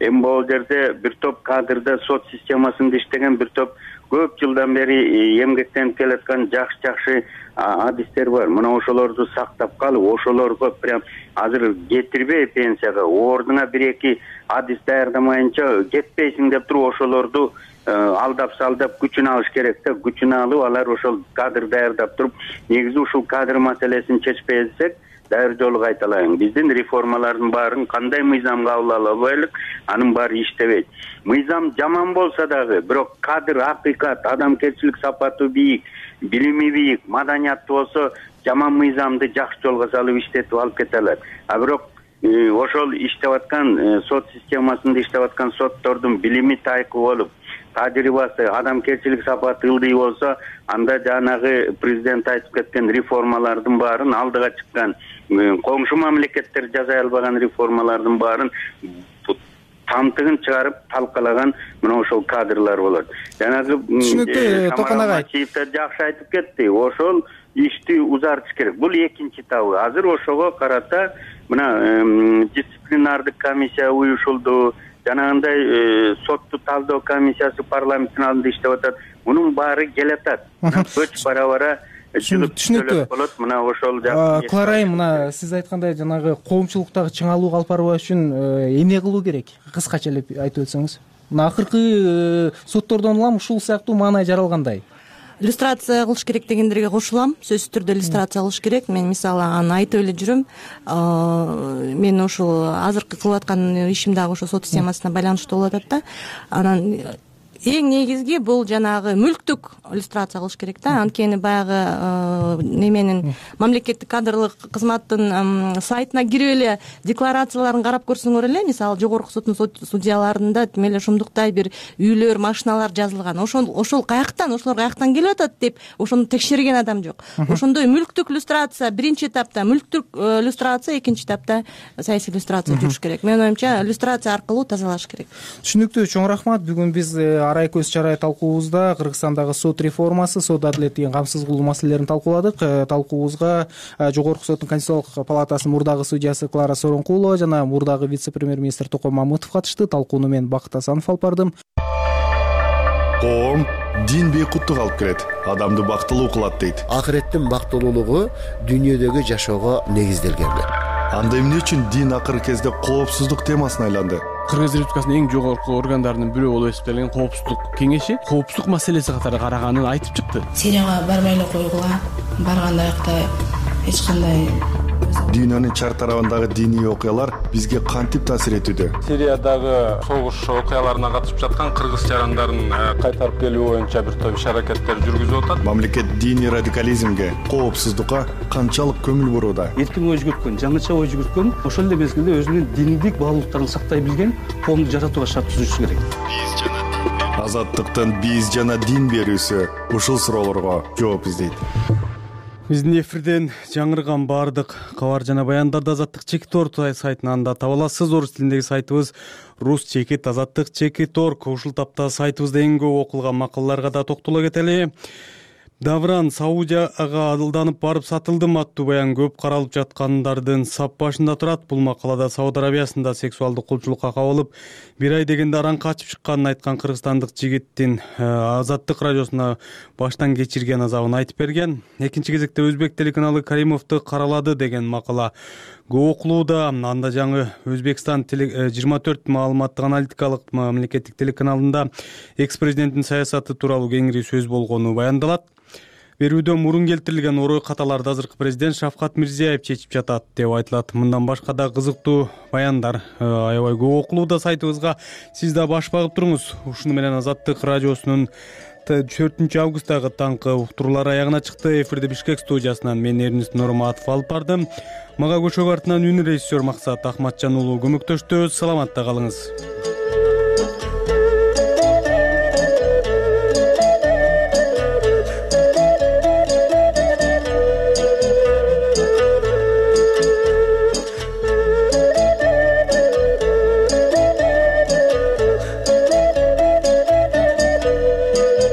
Speaker 8: Эми бул жерде бир топ кадрда сот системасында иштеген бир топ көп жылдан бери эмгектенип келаткан жакшы адистер бар. Мына ошолорду сактап калып, ошолорго прям азыр кетирбей пенсияга, ордуна 1-2 адис даярдамайынча кетпейсиң деп туруп ошолорду алдап-салдап күчүн алыш керек да. Күчүн алып, алар ошол кадр даярдап туруп, негизи ушул кадр маселесин чечпесек, дайыр жолу кайталайын. Биздин реформалардын баарын кандай мыйзам кабыл албайлык, анын баары иштебейт. Мыйзам жаман болсо дагы, бирок кадр, акыйкат, адамгерчилик сапаты бийик, билими бийик, маданияттуу болсо, жаман мыйзамды жакшы жолго салып иштетип алып кете алат. А бирок ошол иштеп аткан сот системасында иштеп аткан соттордун билими тайкы болуп, тажрыйбасы, адамгерчилик сапаты ылдый болсо, анда жанагы президент айтып кеткен реформалардын баарын, алдыга чыккан коңшу мамлекеттер жасай албаган реформалардын баарын тамтыгын чыгарып талкалаган мына ошол кадрлар болот. Жанагы
Speaker 7: Токон агай
Speaker 8: жакшы айтып кетти. Ошол ишти узартыш керек. Бул экинчи табы. Азыр ошого карата мына дисциплинардык комиссия уюшулду. Жанагындай сотту талдоо комиссиясы парламенттин алдында иштеп атат. Мунун баары келатат. Көч бара-бара
Speaker 7: түшүнүктүү
Speaker 8: болот. Мына ошол
Speaker 7: Кларайым, мына сиз айткандай жанагы коомчулуктагы чыңалууга алып баруу үчүн эмне кылуу керек? Кыскача эле айтып өтсөңүз. Мына акыркы соттордон улам ушул сыяктуу маанай жаралгандай.
Speaker 9: Иллюстрация кылыш керек дегендерге кошулам. Сөзсүз түрдө иллюстрация кылыш керек. Мен мисалы аны айтып эле жүрөм. Мен ушул азыркы кылып аткан ишим дагы ошо сот системасына байланыштуу болуп атат да. Анан эң негизги бул жанагы мүлктүк иллюстрация кылыш керек да. Анткени баягы неменин мамлекеттик кадрлык кызматтын сайтына кирип эле декларацияларын карап көрсөңөр эле, мисалы жогорку соттун судьяларында тим эле ушундуктай бир үйлөр, машиналар жазылган. Ошол каяктан, ошолор каяктан келип атат деп ошону текшерген адам жок. Ошондой мүлктүк иллюстрация биринчи этапта, мүлктүк иллюстрация экинчи этапта саясий иллюстрация жүрүш керек. Менин оюмча иллюстрация аркылуу тазалаш керек.
Speaker 7: Түшүнүктүү, чоң рахмат. Бүгүн биз арай көз чарай талкуубузда Кыргызстандагы сот реформасы, сот адилеттигин камсыз кылуу маселелерин талкууладык. Талкуубузга Жогорку соттун Конституциялык палатасынын мурдагы судьясы Клара Соронкулова жана мурдагы вице-премьер-министр Токон Мамытов катышты. Талкууну мен Бакыт Асанов алып бардым.
Speaker 18: Коом дин бейкуттук алып келет, адамды бактылуу кылат дейт.
Speaker 12: Акыреттин бактылуулугу дүйнөдөгү жашоого негизделген.
Speaker 18: Анда эмне үчүн дин акыркы кезде коопсуздук темасына айланды?
Speaker 1: Кыргыз Республикасынын эң жогорку органдарынын бирөө болуп эсептелген коопсуздук кеңеши коопсуздук маселеси катары караганын айтып чыкты.
Speaker 13: Сирияга барбай эле койгула, барганда аякта эч кандай
Speaker 18: Дүйнөнүн чар тарабындагы диний окуялар бизге кантип таасир этүүдө?
Speaker 14: Сириядагы согуш окуяларына катышып жаткан кыргыз жарандарын кайтарып келүү боюнча бир топ иш-аракеттер жүргүзүп атат.
Speaker 18: Мамлекет диний радикализмге, коопсуздукка канчалык көңүл бурууда?
Speaker 17: Эркин ой жүгүрткөн, жаңыча ой жүгүрткөн, ошол эле мезгилде өзүнүн диндик баалуулуктарын сактай билген коомду жаратууга шарт түзүшү керек.
Speaker 18: Азаттыктын биз жана дин берүүсү ушул суроолорго жооп издейт.
Speaker 1: Биздин эфирден жаңырган баардык кабар жана баяндарды Азаттык Чекит Орг сайтынан да таба аласыз. Орус тилиндеги сайтыбыз Рус Чекит Азаттык Чекит Орг. Ушул тапта сайтыбызда эң көп окулган макалаларга да токтоло кетели. Давран Саудияга алданып барып сатылдым аттуу баян көп каралып жаткандардын сап башында турат. Бул макалада Сауд Арабиясында сексуалдык кулчулукка кабылып, 1 ай дегенде аран качып чыкканын айткан кыргызстандык жигиттин Азаттык радиосуна баштан кечирген азабын айтып берген. Экинчи кезекте Өзбек телеканалы Каримовду каралады деген макала көп окулууда. Анда жаңы Өзбекстан 24 маалыматтык аналитикалык мамлекеттик телеканалында экс-президенттин саясаты тууралуу кеңири сөз болгону баяндалат. Берүүдө мурун келтирилген орой каталарды азыркы президент Шавкат Мирзиёев чечип жатат деп айтылат. Мындан башка да кызыктуу баяндар аябай көп окулууда сайтыбызга. Сиз да баш багып туруңуз. Ушуну менен Азаттык радиосунун 4 августтагы таңкы уктуруулары аягына чыкты. Эфирде Бишкек студиясынан мен Эрнест Нурматов алып бардым. Мага көчөк артынан үн режиссер Максат Ахматжан уулу көмөктөштү. Саламатта калыңыз.